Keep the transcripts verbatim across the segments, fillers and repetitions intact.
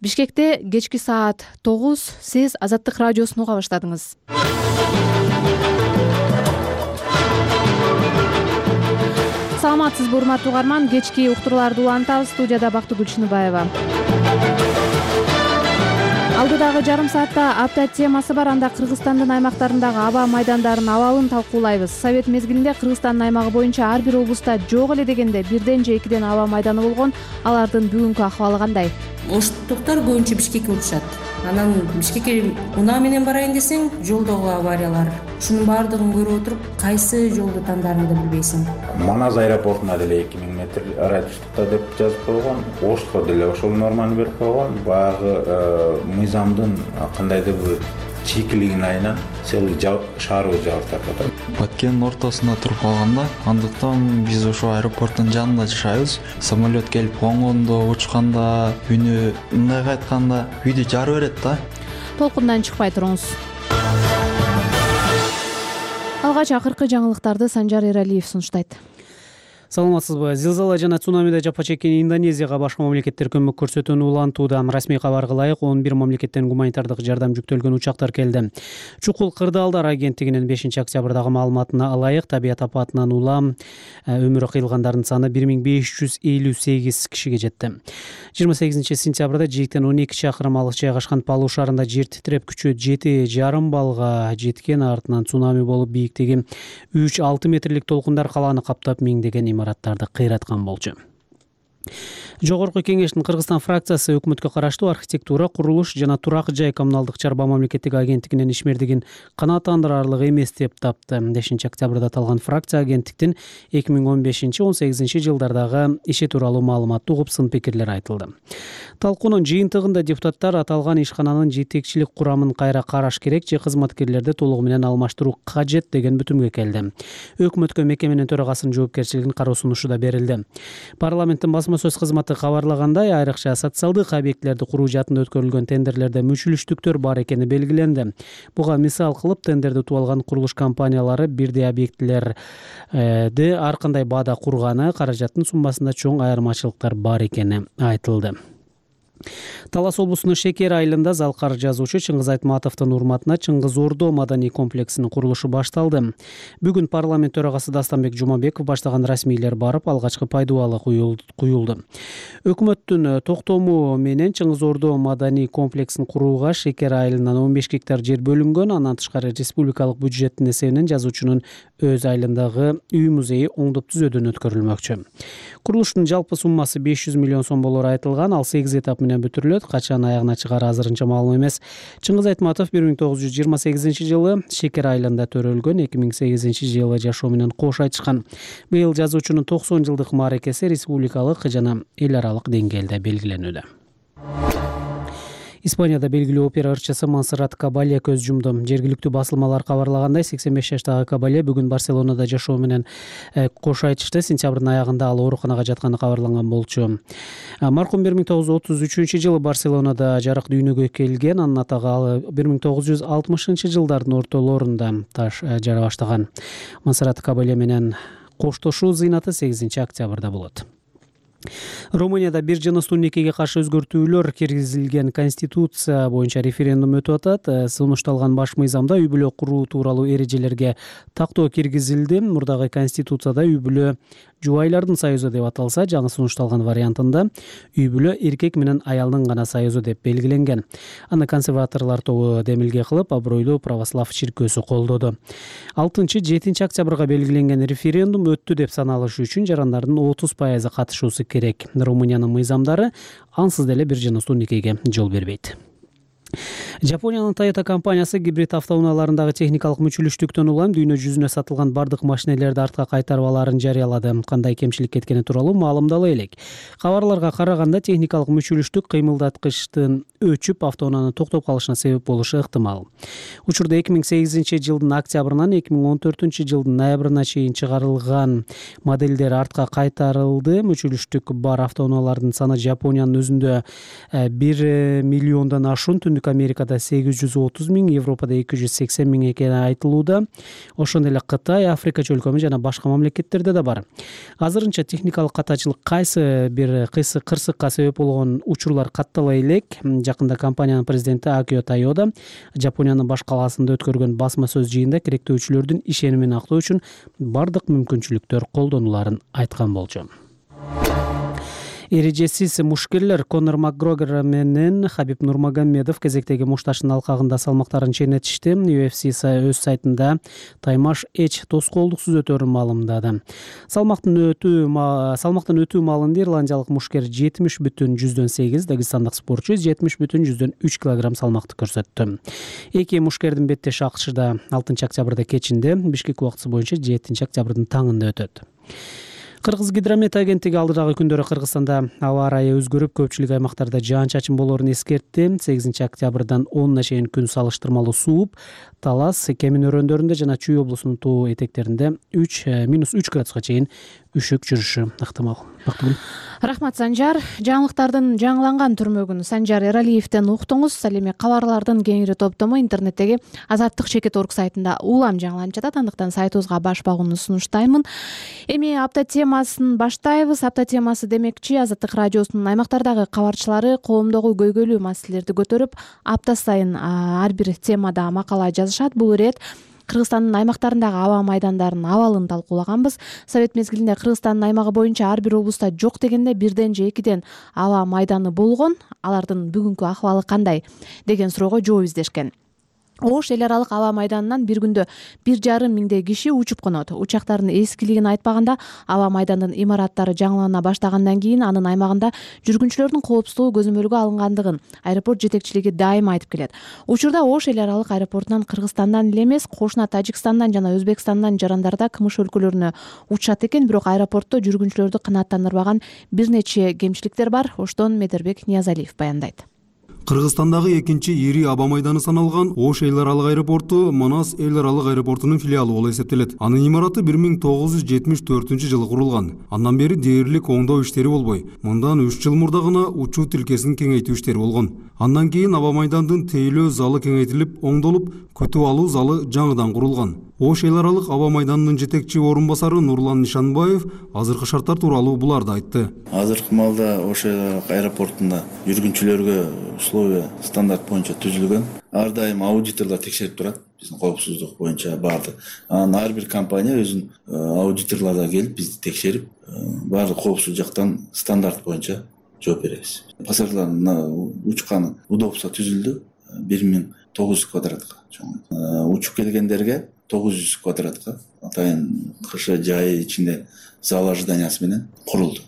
Бишкекте кечки саат тогуз. Сиз Азаттык радиосун уга баштадыңыз. Саламатсызбы, урматтуу угарман. Кечки уктурууларды улантабыз. Студияда Бактыгүл Чыныбаева. Алдыдагы жарым саатта апта темасы бар. Анда Кыргызстандын аймактарындагы аба майдандарын абалын талкуулайбыз. Совет мезгилинде Кыргызстандын аймагы боюнча ар бир облуста жок эле дегенде бирден же экиден аба майданы болгон. Алардын бүгүнкү ахыбалы кандай? Оштуктар көбүнчө Бишкекке учушат. Анан Бишкекке унаа менен барайын десең, жолдогу авариялар. Ушунун баардыгын көрүп отуруп, кайсы жолду тандаарыңды билбейсиң. Манас аэропортуна деле эки миң метр радиустукта деп жазып койгон. Ошко деле ошол норманы берип койгон. Баягы мыйзамдын кандайдыр бир чийкилигин айынан целый шаарыбыз жабылып жатат. Баткендин ортосунда туруп калганда, андыктан биз ошо аэропорттун жанында жашайбыз. Самолет келип конгондо, учканда, үнү мындайга айтканда үйдү жарып берет да. Толкундан чыкпай туруңуз. Алгач акыркы жаңылыктарды Санжар Эралиев сунуштайт. Саламатсызбы. Зилзала жана цунамиде жапа чеккен Индонезияга башка мамлекеттер көмөк көрсөтүүнү улантууда. Расмий кабарга ылайык он бир мамлекеттен гуманитардык жардам жүктөлгөн учактар келди. Чукул кырдаалдар агенттигинин бешинчи октябрдагы маалыматына ылайык табият апатынан улам өмүрү кыйылгандардын саны бир миң беш жүз элүү сегиз кишиге жетти. жыйырма сегизинчи сентябрда жийиктен он эки чакырым алыс жайгашкан Палу шаарында жер титиреп күчү жети жарым баллга жеткен. Артынан цунами болуп бийиктиги үч алты метрлик толкундар калааны каптап миңдеген имараттарды кыйраткан болчу. Жогорку кеңештин Кыргызстан фракциясы өкмөткө караштуу архитектура, курулуш жана турак жай коммуналдык чарба мамлекеттик агенттигинин ишмердигин канааттандырарлык эмес деп тапты. бешинчи октябрда аталган фракция агенттиктин эки миң он бешинчи он сегизинчи жылдардагы иши тууралуу маалыматты угуп сын пикирлер айтылды. Талкуунун жыйынтыгында депутаттар аталган ишкананын жетекчилик курамын кайра караш керек же кызматкерлерди толугу менен алмаштыруу кажет деген бүтүмгө келди. Өкмөткө мекеменин төрагасынын жоопкерчилигин кароо сунушу да берилди. Парламенттин басма сөз кызматы кабарлагандай, айрыкча социалдык объектилерди куруу жаатында өткөрүлгөн тендерлерде мүчүлүштүктөр бар экени белгиленди. Буга мисал кылып, тендерди утуп алган курулуш компаниялары бирдей объектилерди ар кандай баада курганы, каражаттын суммасында чоң айырмачылыктар бар экени айтылды. Талас облусунун Шекер айылында залкар жазуучу Чыңгыз Айтматовдун урматына Чыңгыз Ордо маданий комплексинин курулушу башталды. Бүгүн парламент төрагасы Дастанбек Жумабеков баштаган расмийлер барып, алгачкы пайдубалы куюлду. Өкмөттүн токтому менен Чыңгыз Ордо маданий комплексин курууга Шекер айылынан он беш гектар жер бөлүнгөн. Андан тышкары республикалык бюджеттин эсебинен жазуучунун өз айылындагы үй музейи оңдоп түзөөдөн өткөрүлмөкчү. Курулуштун жалпы суммасы беш жүз миллион сом болору айтылган. Ал сегиз этап менен бүтүрүлөт. Качан аягына чыгары азырынча маалым эмес. Чыңгыз Айтматов бир миң тогуз жүз жыйырма сегизинчи жылы Шекер айылында төрөлгөн, эки миң сегизинчи жылы жашоо менен кош айтышкан. Быйыл жазуучунун токсон жылдык мааракеси республикалык жана эл аралык деңгээлде белгиленүүдө. Испанияда белгилүү опера ырчысы Монсеррат Кабалье көз жумду. Жергиликтүү басылмалар кабарлагандай, сексен беш жаштагы Кабалье бүгүн Барселонада жашоо менен кош айтышты. Сентябрдын аягында ал ооруканага жатканы кабарланган болчу. Маркум бир миң тогуз жүз отуз үчүнчү жылы Барселонада жарык дүйнөгө келген. Анын атагы ал бир миң тогуз жүз алтымышынчы жылдардын ортолорунда таш жара баштаган. Монсеррат Кабалье менен коштошуу зыйнаты сегизинчи октябрда болот. Румынияда бир жыныстуу никеге каршы өзгөртүүлөр киргизилген. Конституция боюнча референдум өтүп атат. Сунушталган баш мыйзамда үй бүлө куруу тууралуу эрежелерге тактоо киргизилди. Мурдагы конституцияда үй бүлө жубайлардын союзу деп аталса, жаңы сунушталган вариантында үй бүлө эркек менен аялдын гана союзу деп белгиленген. Аны консерваторлор тобу демилге кылып, абройлуу православ чиркөөсү колдоду. алтынчы жетинчи октябрга белгиленген референдум өттү деп саналышы үчүн жарандардын отуз пайызы катышуусу керек. Румыниянын мыйзамдары ансыз деле бир жыныстуу никеге жол бербейт. Жапониянын Toyota компаниясы гибрид автоунааларындагы техникалык мүчүлүштүктөн улам дүйнө жүзүнө сатылган бардык машинелерди артка кайтарып алаарын жарыялады. Кандай кемчилик кеткени тууралуу маалымдала элек. Кабарларга караганда, техникалык мүчүлүштүк кыймылдаткычтын өчүп автоунаанын токтоп калышына себеп болушу ыктымал. Учурда эки миң сегизинчи жылдын октябрынан эки миң он төртүнчү жылдын ноябрына чейин чыгарылган модельдер артка кайтарылды. Мүчүлүштүк бар автоунаалардын саны Жапониянын өзүндө бир миллиондон ашуун, Түндүк Америкада Азияда сегиз жүз отуз миң, Европада эки жүз сексен миң экени айтылууда. Ошондой эле Кытай, Африка чөлкөмү жана башка мамлекеттерде да бар. Азырынча техникалык катачылык кайсы бир кыйсы кырсыкка себеп болгон учурлар каттала элек. Жакында компаниянын президенти Акио Тойода Жапониянын баш калаасында өткөргөн басма сөз жыйында керектөөчүлөрдүн ишенимин актоо үчүн бардык мүмкүнчүлүктөр колдонуларын айткан болчу. Эрежесиз мушкерлер Конор Макгрегор менен Хабиб Нурмагомедов кезектеги мушташтын алкагында салмактарын чейнетишти. ю эф си өз сайтында Таймаш Эч тоскоолдук сүзөтөрүн маалымдады. Салмактын өтүү салмактын өтүү маалында ирландиялык мушкер жетимиш бүтүн жүздөн сегиз, дагыстандык спортчу жетимиш бүтүн жүздөн үч килограмм салмакты көрсөттү. Эки мушкердин беттеши АКШда алтынчы октябрда кечинде, Бишкек убактысы боюнча жетинчи октябрдын таңында өтөт. Кыргыз гидромет агенттиги алдыдагы күндөрү Кыргызстанда аба ырайы өзгөрүп, көпчүлүк аймактарда жаан-чачын болоорун эскертти. сегизинчи октябрдан онуна чейин күн салыштырмалуу сууп, Талас, Кемин өрөөндөрүндө жана Чүй облусунун туу этектеринде үч минус үч градуска чейин үшүк жүрүшү ыктымал. Рахмат, Санжар. Жаңылыктардын жаңыланган түрмөгүн Санжар Эралиевден уктуңуз. Ал эми кабарлардын кеңири топтому интернеттеги Азаттык чекит орг сайтында улам жаңыланып жатат. Андыктан сайтыбызга баш багууну сунуштаймын. Эми апта темасын баштайбыз. Апта темасы демекчи Азаттык радиосунун аймактардагы кабарчылары коомдогу көйгөйлүү маселелерди көтөрүп, апта сайын ар бир темада макала жазышат. Бул ирет Кыргызстандын аймактарындагы аба майдандарынын абалын талкуулаганбыз. Совет мезгилинде Кыргызстандын аймагы боюнча ар бир облуста жок дегенде бирден же экиден аба майданы болгон. Алардын бүгүнкү акыбалы кандай деген суроого жооп издешкен. Ош эл аралык аба майданынан бир күндө бир жарым миңдей киши учуп конот. Учактардын эскилигин айтпаганда, аба майдандын имараттары жаңылана баштагандан кийин анын аймагында жүргүнчүлөрдүн коопсуздугу көзөмөлгө алынгандыгын аэропорт жетекчилиги дайыма айтып келет. Учурда Ош эл аралык аэропортунан Кыргызстандан эле эмес, кошуна Тажикстандан жана Өзбекстандан жарандарда кымыш өлкөлөрүнө учат экен, бирок аэропортто жүргүнчүлөрдү канааттандырбаган бир нече кемчиликтер бар. Оштон Медербек Ниязалиев баяндайт. Кыргызстандагы экинчи ири аба майданы саналган Ош эл аралык аэропорту Манас эл аралык аэропортунун филиалы болуп эсептелет. Анын имараты бир миң тогуз жүз жетимиш төртүнчү жылы курулган. Андан бери дээрлик оңдоо иштери болбой, мындан үч жыл мурда гана учуу тилкесин кеңейтүү иштери болгон. Андан кийин аба майдандын тейлөө залы кеңейтилип, оңдолуп, күтүп алуу залы жаңыдан курулган. Ош эл аралык аба майданынын жетекчи орун басары Нурлан Нишанбаев азыркы шарттар тууралуу буларды айтты. Азыркы маалда Ош эл аралык аэропортунда жүргүнчүлөргө условия стандарт боюнча түзүлгөн. Ар дайым аудиторлор текшерип турат. Биздин коопсуздук боюнча баардык. Анан ар бир компания өзүнүн аудиторлордо келип бизди текшерип, баардык коопсуздук жактан стандарт боюнча жооп беребиз. Пассажирлардын учкан удобство түзүлдү. бир миң тогуз жүз квадратка чоң. Учуп келгендерге тогуз жүз квадратка атайын кышы жайы ичинде зал ожиданиясы менен курулду.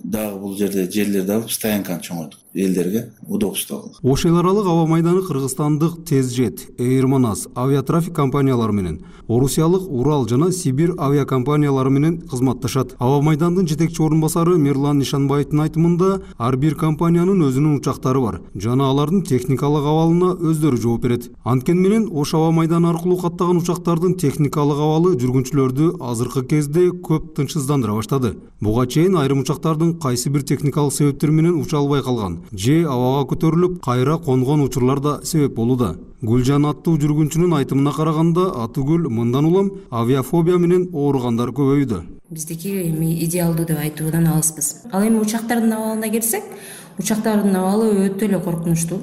Дагы бул жерде жерлерди алып стоянканы чоңойтуп, элдерге удобство алды. Ош эл аралык аба майданы кыргызстандык Тезжет, Эйр Манас авиатрафик компаниялары менен, Орусиялык Урал жана Сибирь авиакомпаниялары менен кызматташат. Аба майдандын жетекчи орун басары Мирлан Нишанбаевдин айтымында, ар бир компаниянын өзүнүн учактары бар жана алардын техникалык абалына өздөрү жооп берет. Анткени менен Ош аба майданы аркылуу каттаган учактардын техникалык абалы жүргүнчүлөрдү азыркы кезде көп тынчсыздандыра баштады. Буга чейин айрым учактардын кайсы бир техникалык себептер менен уча албай калган, же абага көтөрүлүп кайра конгон учурлар да себеп болууда. Гүлжан аттуу жүргүнчүнүн айтымына караганда, Атыгүл мындан улам авиафобия менен ооругандар көбөйдү. Биздики эми идеалдуу деп айтуудан алыспыз. Ал эми учактардын абалына келсек, учактардын абалы өтө эле коркунучтуу.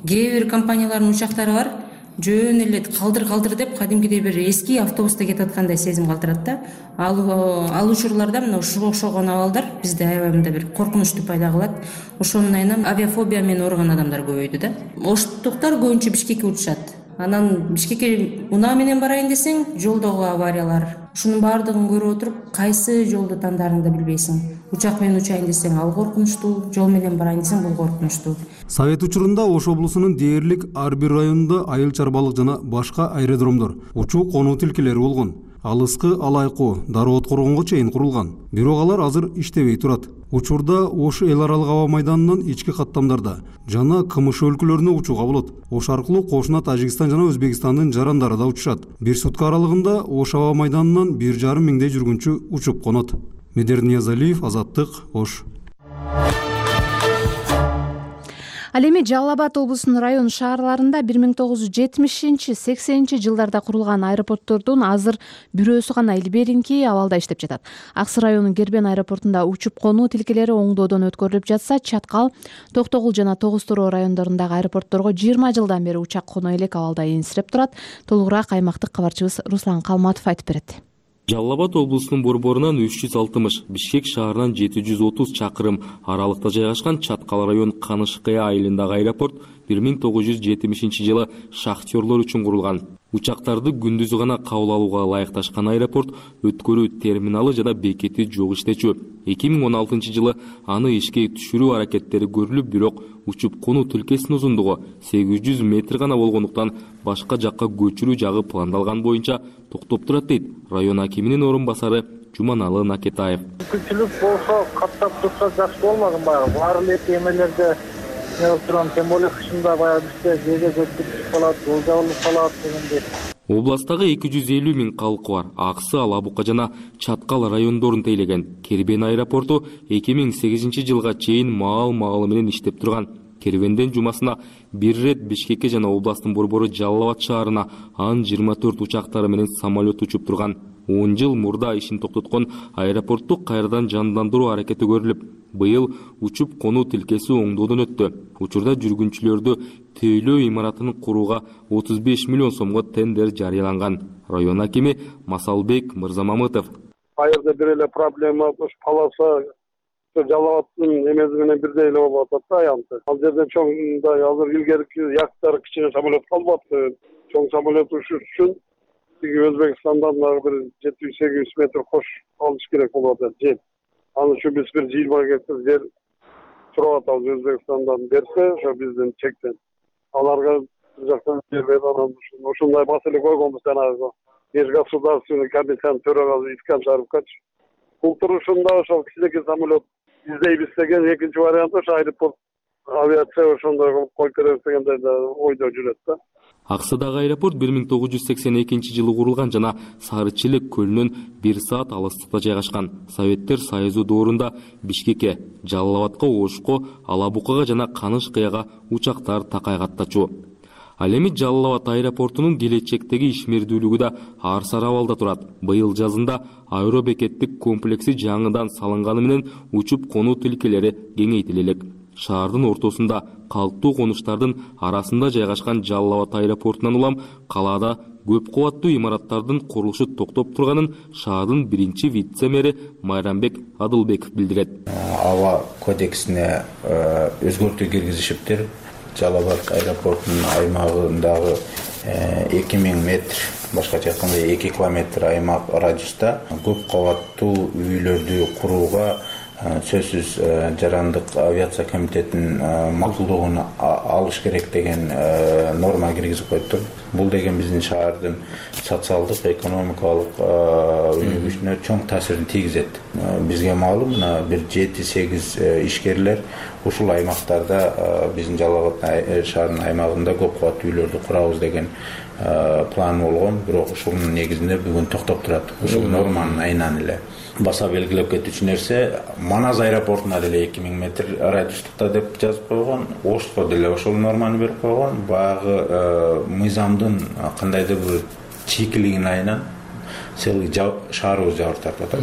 Кээ бир компаниялардын учактары бар, жөн эле калдыр-калдыр деп кадимкидей бир эски автобуста кетип аткандай сезим калтырат да. Ал ал учурларда мына ушуга окшогон абалдар бизде аябай мындай бир коркунучту пайда кылат. Ошонун айынан авиафобия менен ооруган адамдар көбөйдү да. Оштуктар көбүнчө Бишкекке учушат. Анан Бишкекке унаа менен барайын десең, жолдогу авариялар. Ушунун баардыгын көрүп отуруп, кайсы жолду тандаарыңды билбейсиң. Учак менен учайын десең, ал коркунучтуу, жол менен барайын десең, бул коркунучтуу. Совет учурунда Ош облусунун дээрлик ар бир районунда айыл чарбалык жана башка аэродромдор, учуу конуу тилкелери болгон. Алыскы Алайкуу, Дароот Коргонго чейин курулган. Бирок алар азыр иштебей турат. Учурда Ош эл аралык аба майданынан ички каттамдарда жана кымыш өлкөлөрүнө учууга болот. Ош аркылуу кошуна Тажикстан жана Өзбекстандын жарандары да учушат. Бир сутка аралыгында Ош аба майданынан бир жарым миңдей жүргүнчү учуп конот. Медер Ниязалиев, Азаттык, Ош. Ал эми Жалал Абад облусунун район шаарларында бир миң тогуз жүз жетимишинчи сексенинчи жылдарда курулган аэропорттордун азыр бирөөсү гана илберинки абалда иштеп жатат. Аксы районунун Кербен аэропортунда учуп конуу тилкелери оңдоодон өткөрүлүп жатса, Чаткал, Токтогул жана Тогуз Тороо райондорундагы аэропортторго жыйырма жылдан бери учак коноо элек абалда энсирип турат. Толугураак аймактык кабарчыбыз Руслан Калматов айтып берет. Жалал Абад облусунун борборунан үч жүз алтымыш, Бишкек шаарынан жети жүз отуз чакырым аралыкта жайгашкан Чаткал район Канышкыя айылындагы аэропорт бир миң тогуз жүз жетимишинчи жылы шахтерлор үчүн курулган. Учактарды күндүзү гана кабыл алууга ылайыкташкан аэропорт өткөрүү терминалы жана бекети жок иштечү. эки миң он алтынчы жылы аны ишке түшүрүү аракеттери көрүлүп, бирок учуп конуу тилкесинин узундугу сегиз жүз метр гана болгондуктан башка жакка көчүрүү жагы пландалган боюнча токтоп турат дейт район акиминин орун басары Жуманалы Накетаев. Күчүлүк болсо каттап турса жакшы болмаган баягы. Баары эле эмелерде не турган, тем более кышында баягы бизде жеге көтүрүп калат, жол жабылып калат дегендей. Областагы эки жүз элүү миң калкы бар. Аксы, Алабука жана Чаткал райондорун тейлеген Кербен аэропорту эки миң сегизинчи жылга чейин маал-маалы менен иштеп турган. Кербенден жумасына бир рет Бишкекке жана областтын борбору Жалал Абад шаарына Ан жыйырма төрт учактары менен самолет учуп турган. он жыл мурда ишин токтоткон аэропортту кайрадан жандандыруу аракети көрүлүп, быйыл учуп конуу тилкеси оңдоодон өттү. Учурда жүргүнчүлөрдү тейлөө имаратын курууга отуз беш миллион сомго тендер жарыяланган. Район акими Масалбек Мырзамамытов. Айырда бир эле проблема полоса Жалал Абадтын эмеси менен бирдей эле болуп атат да аянты. Ал жерде чоңдай азыр илгерки яктар кичине самолет калбапты. Чоң самолет учуш үчүн Өзбекстандан бир жети жүз сегиз жүз метр кош алыш керек болуп атат жер. Аны үчүн биз бир жыйырма гектар жер сурап атабыз Өзбекстандан берсе, ошо биздин чектен. Аларга бир жактан жер берип анан ушундай маселе койгонбуз жанагы Меж государственный комитет төрагасы Искан Шарипович. Бул турушунда ошол кичинекей самолет издейбиз деген экинчи вариант ошо аэропорт авиация ошондой кылып коюп беребиз дегендей да ойдо жүрөт да. Аксыдагы аэропорт бир миң тогуз жүз сексен экинчи жылы курулган жана Сары Челек көлүнөн бир саат алыстыкта жайгашкан. Советтер Союзу доорунда Бишкекке, Жалал Абадка, Ошко, Алабукага жана Канышкыяга учактар такай каттачу. Ал эми Жалал Абад аэропортунун келечектеги ишмердүүлүгү да ар-сар абалда турат. Быйыл жазында аэробекеттик комплекси жаңыдан салынганы менен учуп конуу тилкелери кеңейтиле элек. Шаардын ортосунда калктуу конуштардын арасында жайгашкан Жалал Абад аэропортунан улам калаада көп кубаттуу имараттардын курулушу токтоп турганын шаардын биринчи вице-мэри Майрамбек Адылбеков билдирет. Аба кодексине өзгөртүү киргизишиптир. Жалал Абад аэропортунун аймагындагы эки миң метр, башкача айтканда эки километр аймак радиуста көп кабаттуу үйлөрдү курууга сөзсүз жарандык авиация комитетинин макулдугун алыш керек деген норма киргизип коюптур. Бул деген биздин шаардын социалдык, экономикалык өнүгүшүнө чоң таасирин тийгизет. Бизге маалым, мына бир жети сегиз ишкерлер ушул аймактарда биздин Жалал Абад шаарынын аймагында көп кабаттуу үйлөрдү курабыз деген план болгон, бирок ушунун негизинде бүгүн токтоп турат. Ушул норманын айынан эле баса белгилеп кетүүчү нерсе, Манас аэропортуна деле эки миң метр радиустукта деп жазып койгон, Ошко деле ошол норманы берип койгон. Баягы мыйзамдын кандайдыр бир чийкилигинин айынан целый шаарыбыз жабыр тартып атат.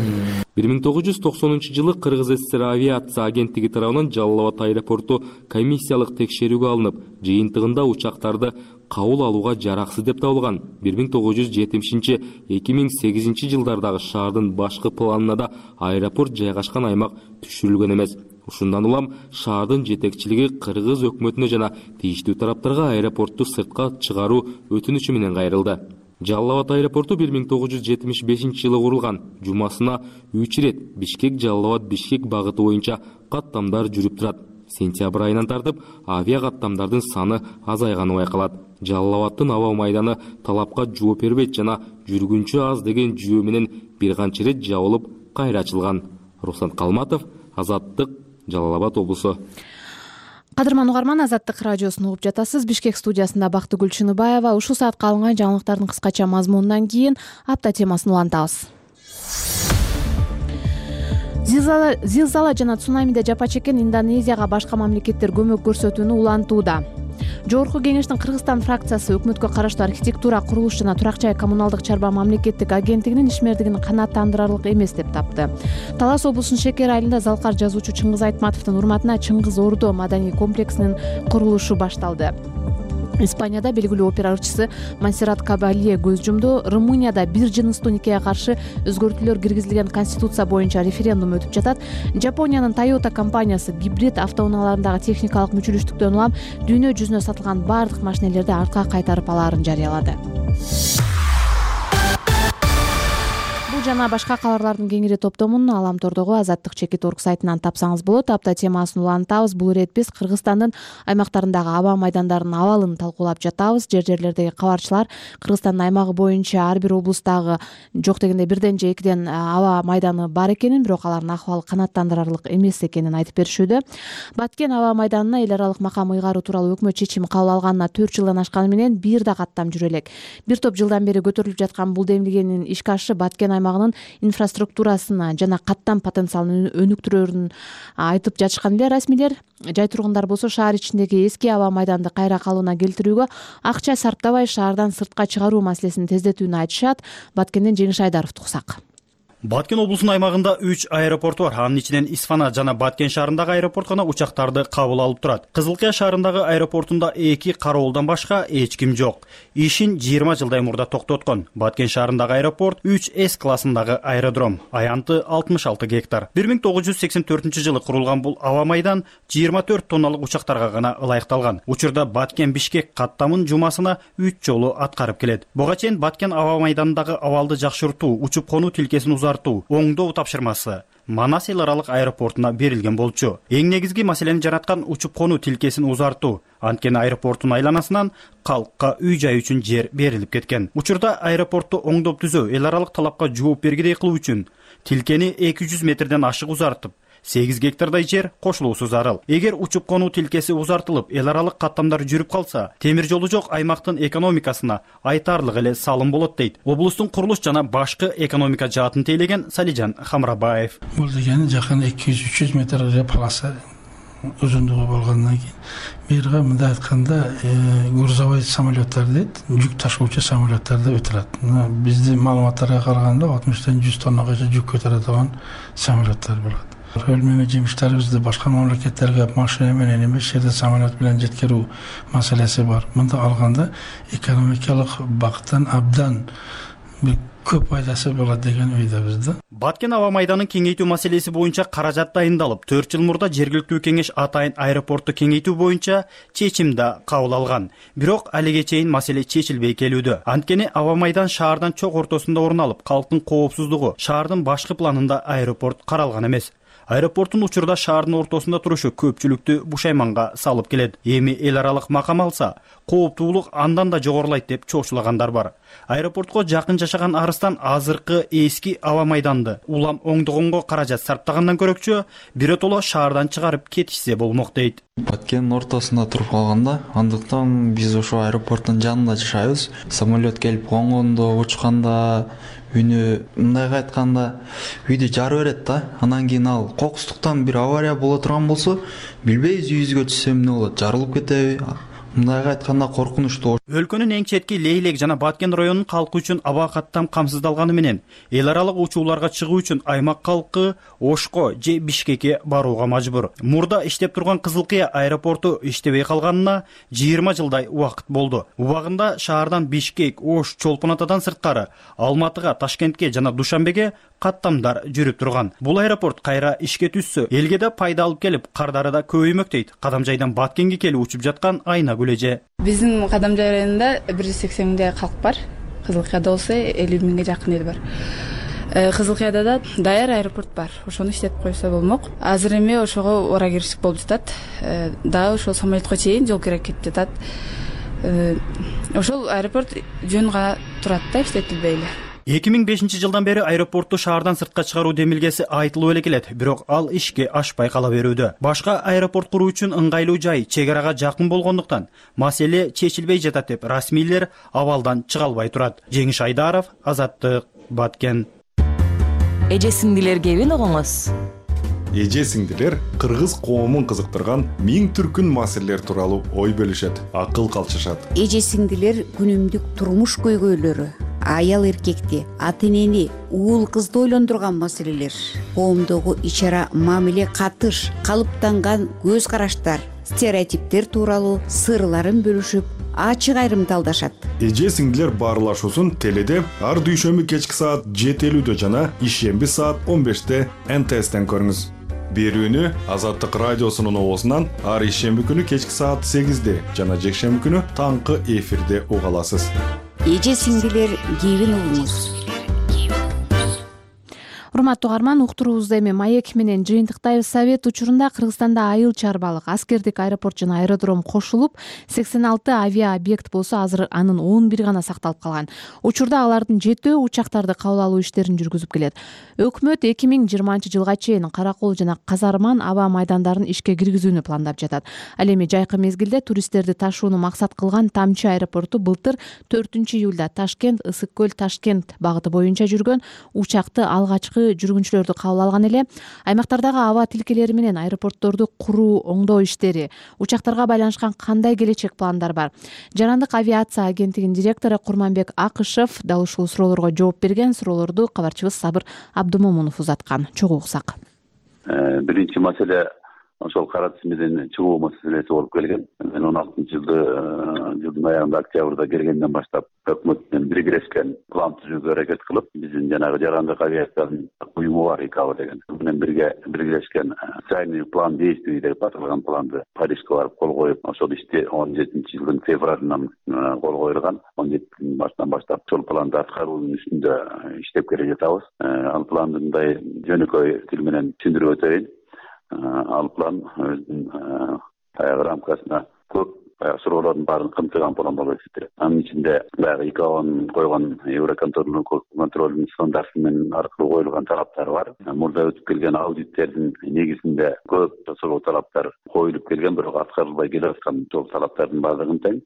бир миң тогуз жүз токсонунчу жылы Кыргыз ССР авиация агенттиги тарабынан Жалал Абад аэропорту комиссиялык текшерүүгө алынып, жыйынтыгында учактарды кабыл алууга жараксыз деп табылган. бир миң тогуз жүз жетимишинчи — эки миң сегизинчи жылдардагы шаардын башкы планына да аэропорт жайгашкан аймак түшүрүлгөн эмес. Ушундан улам шаардын жетекчилиги Кыргыз өкмөтүнө жана тийиштүү тараптарга аэропортту сыртка чыгаруу өтүнүчү менен кайрылды. Жалал Абад аэропорту бир миң тогуз жүз жетимиш бешинчи жылы курулган. Жумасына үч рет Бишкек Жалал Абад Бишкек багыты боюнча каттамдар жүрүп турат. Сентябрь айынан тартып авиа каттамдардын саны азайганы байкалат. Жалал Абадтын аба майданы талапка жооп бербейт жана жүргүнчү аз деген жүйө менен бир канча рет жабылып кайра ачылган. Руслан Калматов, Азаттык, Жалал Абад облусу. Кадырман угарман, Азаттык радиосун угуп жатасыз. Бишкек студиясында Бактыгүл Чыныбаева. Ушул саатка алынган жаңылыктардын кыскача мазмунунан кийин апта темасын улантабыз. Зилзала, зилзала жана цунамиде жапа чеккен Индонезияга башка мамлекеттер көмөк көрсөтүүнү улантууда. Жогорку кеңештин Кыргызстан фракциясы өкмөткө караштуу архитектура, курулуш жана турак жай коммуналдык чарба мамлекеттик агенттигинин ишмердигин канааттандырарлык эмес деп тапты. Талас облусунун Шекер айылында залкар жазуучу Чыңгыз Айтматовдун урматына Чыңгыз Ордо маданий комплексинин курулушу башталды. Испанияда белгилүү опера ырчысы Монсеррат Кабалье көз жумду. Румынияда бир жыныстуу никеге каршы өзгөртүүлөр киргизилген конституция боюнча референдум өтүп жатат. Жапониянын Toyota компаниясы гибрид автоунааларындагы техникалык мүчүлүштүктөн улам дүйнө жүзүнө сатылган бардык машинелерди артка кайтарып алаарын жарыялады. Жана башка кабарлардын кеңири топтомун Аламтордогу Азаттык чекит орг сайтынан тапсаңыз болот. Апта темасын улантабыз. Бул ирет биз Кыргызстандын аймактарындагы аба майдандарынын абалын талкуулап жатабыз. Жер жерлердеги кабарчылар Кыргызстандын аймагы боюнча ар бир облустагы жок дегенде бирден же экиден аба майданы бар экенин, бирок алардын акыбалы канааттандырарлык эмес экенин айтып беришүүдө. Баткен аба майданына эл аралык макам ыйгаруу тууралуу өкмөт чечими кабыл алганына төрт жылдан ашканы менен бир да каттам жүрө элек. Бир топ жылдан бери көтөрүлүп жаткан бул демилгенин ишке ашышы Баткен аймагынын инфраструктурасына жана каттам потенциалын өнүктүрөөрүн айтып жатышкан эле расмийлер. Жай тургундар болсо шаар ичиндеги эски аба майданды кайра калыбына келтирүүгө акча сарптабай шаардан сыртка чыгаруу маселесин тездетүүнү айтышат. Баткенден Жеңиш Айдаровду уксак. Баткен облусунун аймагында үч аэропорт бар. Анын ичинен Исфана жана Баткен шаарындагы аэропорт гана учактарды кабыл алып турат. Кызылкия шаарындагы аэропортунда эки кароолдон башка эч ким жок. Ишин жыйырма жылдай мурда токтоткон. Баткен шаарындагы аэропорт үч эс классындагы аэродром. Аянты алтымыш алты гектар. бир миң тогуз жүз сексен төртүнчү жылы курулган бул аба майдан жыйырма төрт тонналык учактарга гана ылайыкталган. Учурда Баткен Бишкек каттамын жумасына үч жолу аткарып келет. Буга чейин Баткен аба майданындагы абалды жакшыртуу, учуп конуу тилкесин узартуу, оңдоо тапшырмасы Манас эл аралык аэропортуна берилген болчу. Эң негизги маселени жараткан учуп конуу тилкесин узартуу. Анткени аэропорттун айланасынан калкка үй жай үчүн жер берилип кеткен. Учурда аэропортту оңдоп түзөө, эл аралык талапка жооп бергидей кылуу үчүн тилкени эки жүз метрден ашык узартып, сегиз гектардай жер кошулуусу зарыл. Эгер учуп конуу тилкеси узартылып, эл аралык каттамдар жүрүп калса, темир жолу жок аймактын экономикасына айтарлык эле салым болот дейт облустун курулуш жана башкы экономика жаатын тейлеген Салижан Хамрабаев. Бул дегени жакын эки жүз үч жүз метр полоса узундугу болгондон кийин бирге мындай айтканда грузовой самолеттер дейт, жүк ташуучу самолеттер деп өтүлат. Биздин маалыматтарга караганда алтымыштан жүз тоннагача жүк көтөрө алган самолеттер болот. Өлмөмө жемиштерибизди башка мамлекеттерге машина менен эмес, жерде самолет менен жеткирүү маселеси бар. Мында алганда экономикалык бактан абдан бир көп пайдасы болот деген ойдобуз да. Баткен аба майданын кеңейтүү маселеси боюнча каражат дайындалып, төрт жыл мурда жергиликтүү кеңеш атайын аэропортту кеңейтүү боюнча чечим да кабыл алган. Бирок алиге чейин маселе чечилбей келүүдө. Анткени аба майдан шаардан чок ортосунда орун алып, калктын коопсуздугу, шаардын башкы планында аэропорт каралган эмес. Аэропорттун учурда шаардын ортосунда турушу көпчүлүктү бушайманга салып келет. Эми эл аралык макам алса, кооптуулук андан да жогорулайт деп чочулагандар бар. Аэропортко жакын жашаган арыстан азыркы эски аба майданды улам оңдогонго каражат сарптагандан көрөкчү биротоло шаардан чыгарып кетишсе болмок дейт. Баткендин ортосунда туруп калганда, андыктан биз ошо аэропорттун жанында жашайбыз. Самолет келип конгондо, учканда үйнү мындайга айтканда үйдү жарып берет да. Анан кийин ал кокустуктан бир авария боло турган болсо, билбейбиз үйүбүзгө түшсө эмне болот, жарылып кетеби? Мындайга айтканда коркунучтуу. Өлкөнүн эң четки Лейлек жана Баткен районунун калкы үчүн аба каттам камсыздалганы менен эл аралык учууларга чыгуу үчүн аймак калкы Ошко же Бишкекке барууга мажбур. Мурда иштеп турган Кызылкия аэропорту иштебей калганына жыйырма жылдай убакыт болду. Убагында шаардан Бишкек, Ош, Чолпон Атадан сырткары Алматыга, Ташкентке жана Душанбеге каттамдар жүрүп турган. Бул аэропорт кайра ишке түшсө, элге да пайда алып келип, кардары да көбөймөк дейт Кадамжайдан Баткенге келип учуп жаткан Айна Гүлеже. Биздин Кадамжай районунда бир жүз сексен миңдей калк бар. Кызылкияда болсо элүү миңге жакын эл бар. Кызылкияда да даяр аэропорт бар. Ошону иштетип койсо болмок. Азыр эми ошого ора киришик болуп жатат. Дагы ошол самолетко чейин жол керек кетип жатат. Ошол аэропорт жөн гана турат да, иштетилбей эле. эки миң бешинчи жылдан бери аэропортту шаардан сыртка чыгаруу демилгеси айтылып эле келет, бирок ал ишке ашпай кала берүүдө. Башка аэропорт куруу үчүн ыңгайлуу жай чек арага жакын болгондуктан маселе чечилбей жатат деп расмийлер абалдан чыга албай турат. Жеңиш Айдаров, Азаттык, Баткен. эже сиңдилер кебин угуңуз. Эже сиңдилер кыргыз коомун кызыктырган миң түркүн маселелер тууралуу ой бөлүшөт, акыл калчышат. Эже сиңдилер күнүмдүк турмуш көйгөйлөрү, аял эркекти, ата энени, уул кызды ойлондурган маселелер, коомдогу ич ара мамиле катыш, калыптанган көз караштар, стереотиптер тууралуу сырларын бөлүшүп, ачык айрымдалдашат. Эже сиңдилер баарлашуусун теледе ар дүйшөмбү кечки саат жети элүүдө жана ишемби саат он беште эн тэ эстен көрүңүз. Берүүнү Азаттык радиосунун оозунан ар ишемби күнү кечки саат сегизде жана жекшемби күнү таңкы эфирде уга аласыз. Эже сиңдилер кебин угуңуз. Урматтуу угарман, уктуруубузду эми маек менен жыйынтыктайбыз. Совет учурунда Кыргызстанда айыл чарбалык, аскердик аэропорт жана аэродром кошулуп, сексен алты авиаобъект болсо, азыр анын он бир гана сакталып калган. Учурда алардын жетөө учактарды кабыл алуу иштерин жүргүзүп келет. Өкмөт эки миң жыйырманчы жылга чейин Каракол жана Казарман аба майдандарын ишке киргизүүнү пландап жатат. Ал эми жайкы мезгилде туристтерди ташууну максат кылган Тамчы аэропорту былтыр төртүнчү июлда Ташкент, Ысык көл, Ташкент багыты боюнча жүргөн учакты алгачкы жүргүнчүлөрдү кабыл алган эле. Аймактардагы аба тилкелери менен аэропортторду куруу, оңдоо иштери, учактарга байланышкан кандай келечек пландар бар? Жарандык авиация агенттигинин директору Курманбек Акышев дал ушул суроолорго жооп берген. Суроолорду кабарчыбыз Сабыр Абдумомунов узаткан. Чогуу уксак. Биринчи маселе ошол кара тизмеден чыгуу маселеси болуп келген. Мен он алтынчы жылды жылдын аягында октябрда келгенден баштап өкмөт менен биргелешкен план түзүүгө аракет кылып, биздин жанагы жарандык авиациянын уюму бар ИКАО деген. Менен бирге биргелешкен специальный план действий деп аталган планды Парижге барып кол коюп, ошол ишти он жетинчи жылдын февралынан кол коюлган. он жетинчи баштан баштап ошол планды аткаруунун үстүндө иштеп келе жатабыз. Ал планды мындай жөнөкөй тил менен түшүндүрүп өтөйүн. Ал план өзүнүн баягы рамкасына көп суроолордун баарын камтыган план болуп эсептелет. Анын ичинде баягы ИКАОнун койгон Евроконтролдун стандарты менен аркылуу коюлган талаптар бар. Мурда өтүп келген аудиттердин негизинде көп ошол талаптар коюлуп келген, бирок аткарылбай келе аткан сол талаптардын баардыгын тең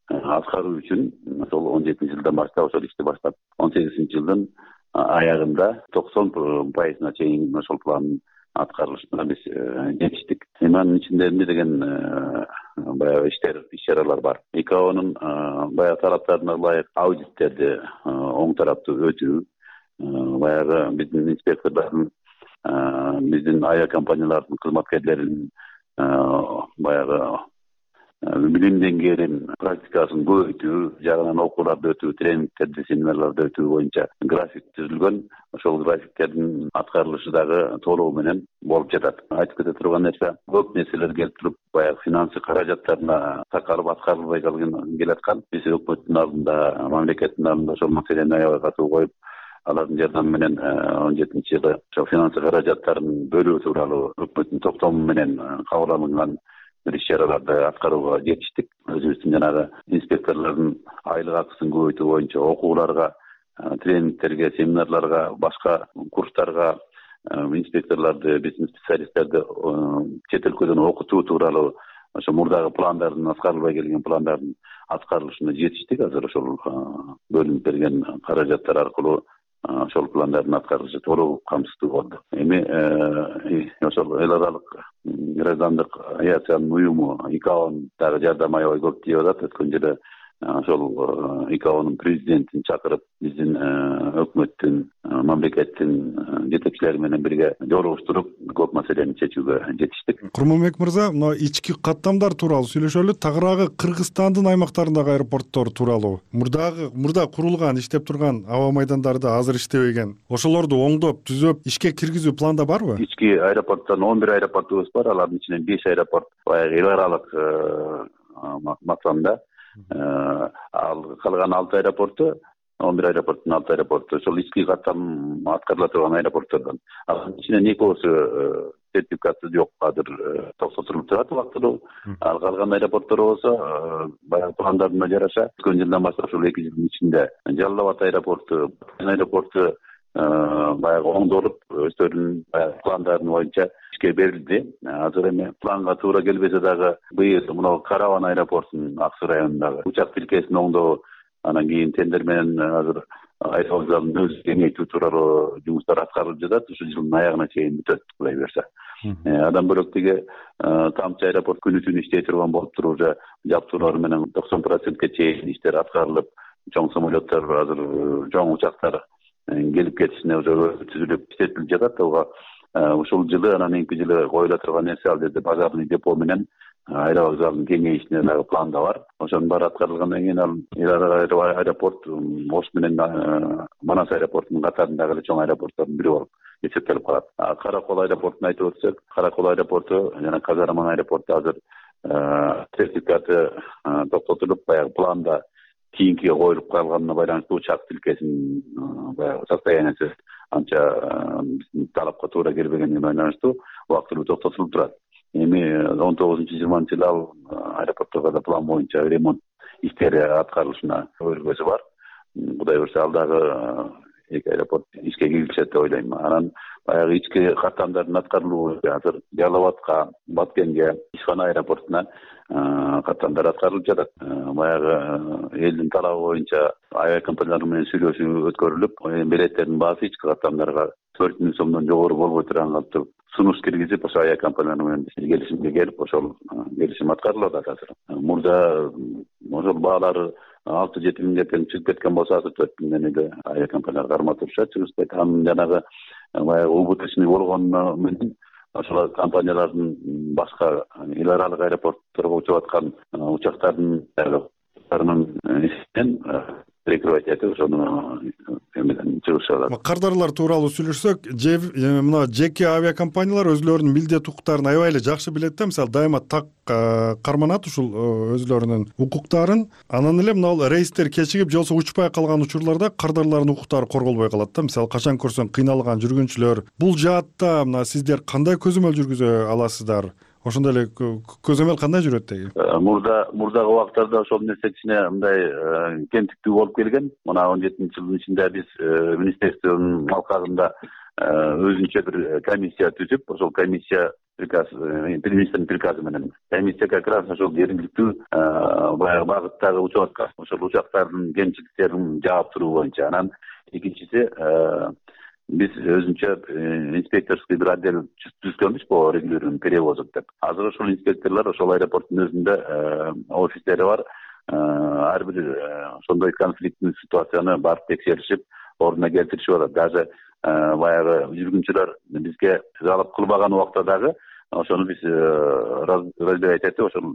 аткаруу үчүн ошол он жетинчи жылдан баштап ошол ишти баштап он сегизинчи жылдын аягында токсон пайызына чейин ошол пландын аткарылышына биз жетиштик. Эми анын ичинде эмне деген баягы иштер, иш-чаралар бар. ИКАОнун баягы талаптарына ылайык аудиттерди оң тараптуу өтүү, баягы биздин инспектордордун, биздин авиакомпаниялардын кызматкерлеринин баягы билим деңгээлин, практикасын көбөйтүү, жагынан окууларды өтүү, тренингтерди, семинарларды өтүү боюнча график түзүлгөн. Ошол графиктердин аткарылышы дагы толугу менен болуп жатат. Айтып кете турган нерсе, көп нерселер келип туруп, баягы финансы каражаттарына такалып аткарылбай келаткан. Биз өкмөттүн алдында, мамлекеттин алдында ошол маселени аябай катуу коюп, алардын жардамы менен он жетинчи жылы ошол финансы каражаттарын бөлүү тууралуу өкмөттүн токтому менен кабыл алынган бир иш-чараларды аткарууга жетиштик. Өзүбүздүн жанагы инспекторлордун айлык акысын көбөйтүү боюнча окууларга, тренингтерге, семинарларга, башка курстарга инспекторлорду, биздин специалисттерди чет өлкөдөн окутуу тууралуу ошо мурдагы пландардын, аткарылбай келген пландардын аткарылышына жетиштик. Азыр ошол бөлүнүп берген каражаттар аркылуу ошол пландардын аткарылышы толугу камсыздуу болду. Эми ошол эл аралык граждандык авиациянын уюму ИКАОнун дагы жардамы аябай көп тийип атат. Өткөн жылы ошол ИКАОнун президентин чакырып, биздин өкмөттүн, мамлекеттин жетекчилери менен бирге жолугуштуруп, көп маселени чечүүгө жетиштик. Курманбек мырза, мына ички каттамдар тууралуу сүйлөшөлү. Тагыраагы Кыргызстандын аймактарындагы аэропорттор тууралуу. Мурдагы мурда курулган, иштеп турган аба майдандары да азыр иштебеген. Ошолорду оңдоп, түзөп, ишке киргизүү планда барбы? Ички аэропорттон он бир аэропортубуз бар. Алардын ичинен беш аэропорт баягы эл аралык максамда. Ал калган алты аэропорту, он бир аэропорттун алты аэропорту ошол ички каттам аткарыла турган аэропорттордон. Анын ичинен экөөсү сертификаты жок, азыр токсотулуп турат убактылуу. Ал калган аэропорттор болсо баягы пландардына жараша өткөн жылдан баштап ушул эки жылдын ичинде Жалал Абад аэропорту, аэропорту баягы оңдолуп, өздөрүнүн пландарын боюнча ишке берилди. Азыр эми планга туура келбесе дагы быйыл мына Караван аэропортунун Ак Суу районундагы учак тилкесин оңдоо, анан кийин тендер менен азыр айыл вокзалын өзү кеңейтүү тууралуу жумуштар аткарылып жатат. Ушу жылдын аягына чейин бүтөт кудай буюрса. Андан бөлөк тиги Тамчы аэропорт күнү түнү иштей турган болуп туруп, уже жабдуулар менен токсон процентке чейин иштер аткарылып, чоң самолеттор азыр, чоң учактар келип кетишине уже түзүлүп иштетилип жатат. Ага ушул жылы анан кийинки жылы коюла турган нерсе ал жерде базарный депо менен аэровокзалдын кеңейишине дагы планда бар. Ошонун баары аткарылгандан кийин ал аэропорт Ош менен Манас аэропортунун катарындагы эле чоң аэропорттордун бири болуп эсептелип калат. Каракол аэропортун айтып өтсөк, Каракол аэропорту жана Казараман аэропорту азыр сертификаты токтотулуп, баягы планда кийинкиге коюлуп калганына байланыштуу учак тилкесинин баягы состояниясы анча талапка туура келбегенине байланыштуу убактылуу токтотулуп турат. Эми он тогузунчу жыйырманчы жылы ал аэропортторго да план боюнча ремонт иштери аткарылышына өргөзү бар. Кудай буюрса ал дагы эки аэропорт ишке киришет деп ойлойм. Анан баягы ички каттамдардын аткарылуу азыр Жалал Абадка, Баткенге, Ишхан аэропортуна каттамдар аткарылып жатат. Баягы элдин талабы боюнча авиакомпаниялар менен сүйлөшүү өткөрүлүп, билеттердин баасы ички каттамдарга төрт миң сомдон жогору болбой турган катып сунуш киргизип, ошо авиакомпаниялар менен келишимге келип, ошол келишим аткарылып атат азыр. Мурда ошол баалары алты жети миңге тең чыгып кеткен болсо, азыр төрт миңден эле авиакомпаниялар кармап турушат, чыгышпайт. Анын жанагы баягы убыточный болгону менен ошол компаниялардын башка эл аралык аэропортторго учуп аткан учактардын эсебинен прикрывать этип ошону эмеден чыгышат. Кардарлар тууралуу сүйлөшсөк, мына жеке авиакомпаниялар өзлөрүнүн милдет укуктарын аябай эле жакшы билет да. Мисалы, дайыма так карманат ушул өзлөрүнүн укуктарын. Анан эле мына рейстер кечигип, жолсо учпай калган учурларда кардарлардын укуктары корголбой калат да. Мисалы, качан көрсөң кыйналган жүргүнчүлөр. Бул жаатта мына сиздер кандай көзөмөл жүргүзө аласыздар? Ошондой эле көзөмөл кандай жүрөт деги? Мурда мурдагы убактарда ошол нерсе кичине мындай кемтиктүү болуп келген. Мына он жетинчи жылдын ичинде биз министрликтин алкагында өзүнчө бир комиссия түзүп, ошол комиссия приказ, министрдин приказы менен комиссия как раз ошол жергиликтүү баягы багыттагы учуп аткан ошол учактардын кемчиликтерин жаап туруу боюнча. Анан экинчиси биз өзүнчө инспекторский бир отдел түзгөнбүз по регулированию перевозок деп. Азыр ошол инспекторлор ошол аэропорттун өзүндө офистери бар. Ар бир ошондой конфликттүү ситуацияны барып текшеришип, ордуна келтиришип атат. Даже баягы жүргүнчүлөр бизге жалоп кылбаган убакта дагы ошону биз разбирать этип, ошол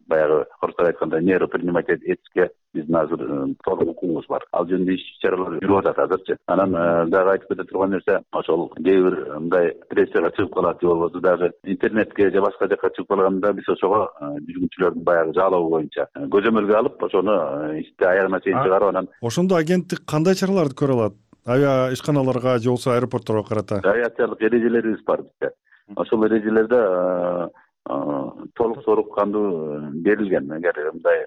баягы орусча айтканда меру принимать этишке биздин азыр толук укугубуз бар. Ал жөнүндө иш чаралар жүрүп атат азырчы. Анан дагы айтып кете турган нерсе, ошол кээ бир мындай прессияга чыгып калат же болбосо даже интернетке же башка жака чыгып калганда биз ошого жүргүнчүлөрдүн баягы жалобу боюнча көзөмөлгө алып, ошону ишти аягына чейин чыгарып, анан ошондо агенттик кандай чараларды көрө алат? Авиа ишканаларга же болбосо аэропортторго карата авиациялык эрежелерибиз бар бизде. Ошол эрежелерде толук сорук кандуу берилген. Эгер мындай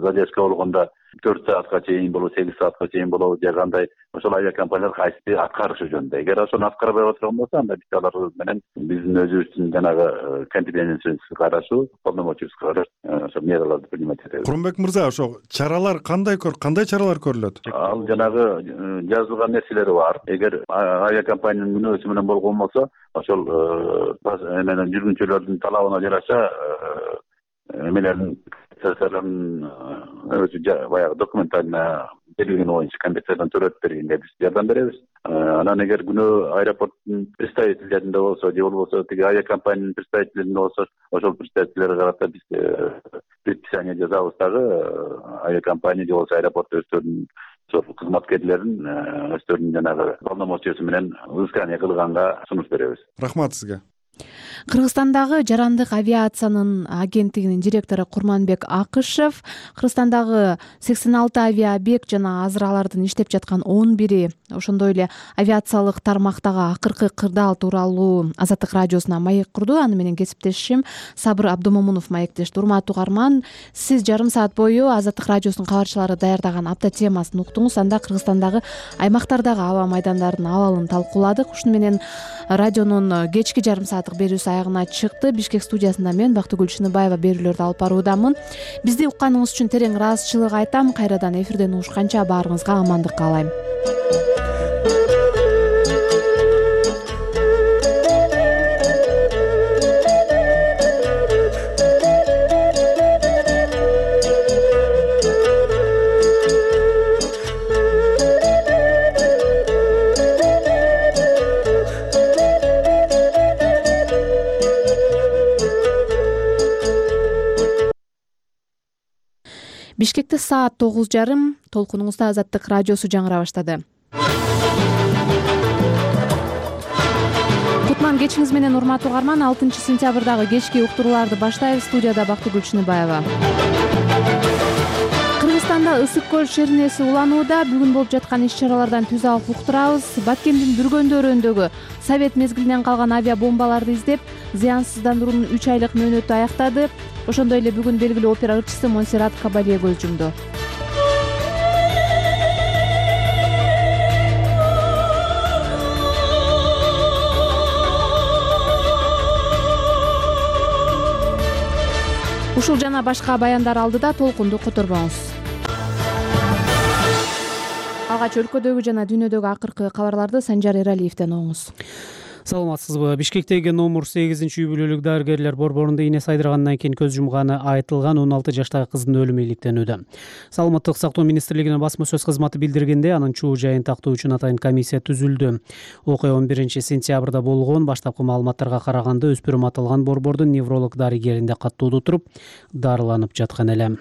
задержка болгондо төрт саатка чейин болобу, сегиз саатка чейин болобу, же кандай ошол авиакомпаниялар кайсы аткарышы жөнүндө. Эгер ошону аткарбай отурган болсо, анда биз алар менен биздин өзүбүздүн жанагы компетенциябызга карашуу, полномочиябызга карашуу ошол мераларды принимать этебиз. Курманбек мырза, ошо чаралар кандай кандай чаралар көрүлөт? Ал жанагы жазылган нерселери бар. Эгер авиакомпаниянын мүнөзү менен болгон болсо, ошол менен жүргүнчүлөрдүн талабына жараша эмелердин өзү баягы документально берилген боюнча компенсациядан төлөп бергенге биз жардам беребиз. Анан эгер күнөө аэропорттун представительдеринде болсо, же болбосо тиги авиакомпаниянын представительдеринде болсо, ошол представительдерге карата биз предписание жазабыз дагы авиакомпания же болбосо аэропорт өздөрүнүн ошол кызматкерлерин өздөрүнүн жанагы полномочиясы менен взыскание кылганга сунуш беребиз. Рахмат сизге. Кыргызстандагы жарандык авиациянын агенттигинин директору Курманбек Акышев Кыргызстандагы сексен алты авиабек жана азыр алардын иштеп жаткан он бири, ошондой эле авиациялык тармактагы акыркы кырдаал тууралуу Азаттык радиосуна маек курду. Аны менен кесиптешим Сабыр Абдумомунов маектешти. Урматтуу угарман, сиз жарым саат бою Азаттык радиосунун кабарчылары даярдаган апта темасын уктуңуз. Анда Кыргызстандагы аймактардагы аба майдандардын абалын талкууладык. Ушуну менен радионун кечки жарым сааты сааттык берүүсү аягына чыкты. Бишкек студиясында мен Бактыгүл Чыныбаева берүүлөрдү алып баруудамын. Бизди укканыңыз үчүн терең ыраазычылык айтам. Кайрадан эфирден угушканча баарыңызга амандык каалайм. Бишкекте саат тогуз жарым. Толкунуңузда Азаттык радиосу жаңыра баштады. Кутман кечиңиз менен урматтуу угарман. алтынчы сентябрдагы кечки уктурууларды баштайбыз. Студияда Бактыгүл Чыныбаева. Кыргызстанда ысык көл шеринеси уланууда. Бүгүн болуп жаткан иш-чаралардан түз алып уктурабыз. Баткендин бүргөндөрүндөгү Совет мезгилинен калган авиабомбаларды издеп, зыянсыздандыруунун үч айлык мөөнөтү аяктады. Ошондой эле бүгүн белгилүү опера ырчысы Монсеррат Кабалье көз жумду. Ушул жана башка баяндар алдыда толкунду которбоңуз. Алгач өлкөдөгү жана дүйнөдөгү акыркы кабарларды Санжар Эралиевден угуңуз. Саламатсызбы? Бишкектеги номер сегизинчи үй бүлөлүк дарыгерлер борборунда ийне сайдыргандан кийин көз жумганы айтылган он алты жаштагы кыздын өлүмү иликтенүүдө. Саламаттык сактоо министрлигинин басма сөз кызматы билдиргенде, анын чуу жайын тактоо үчүн атайын комиссия түзүлдү. Окуя он биринчи сентябрда болгон. Баштапкы маалыматтарга караганда өспүрүм аталган борбордун невролог дарыгеринде каттоодо туруп дарыланып жаткан эле.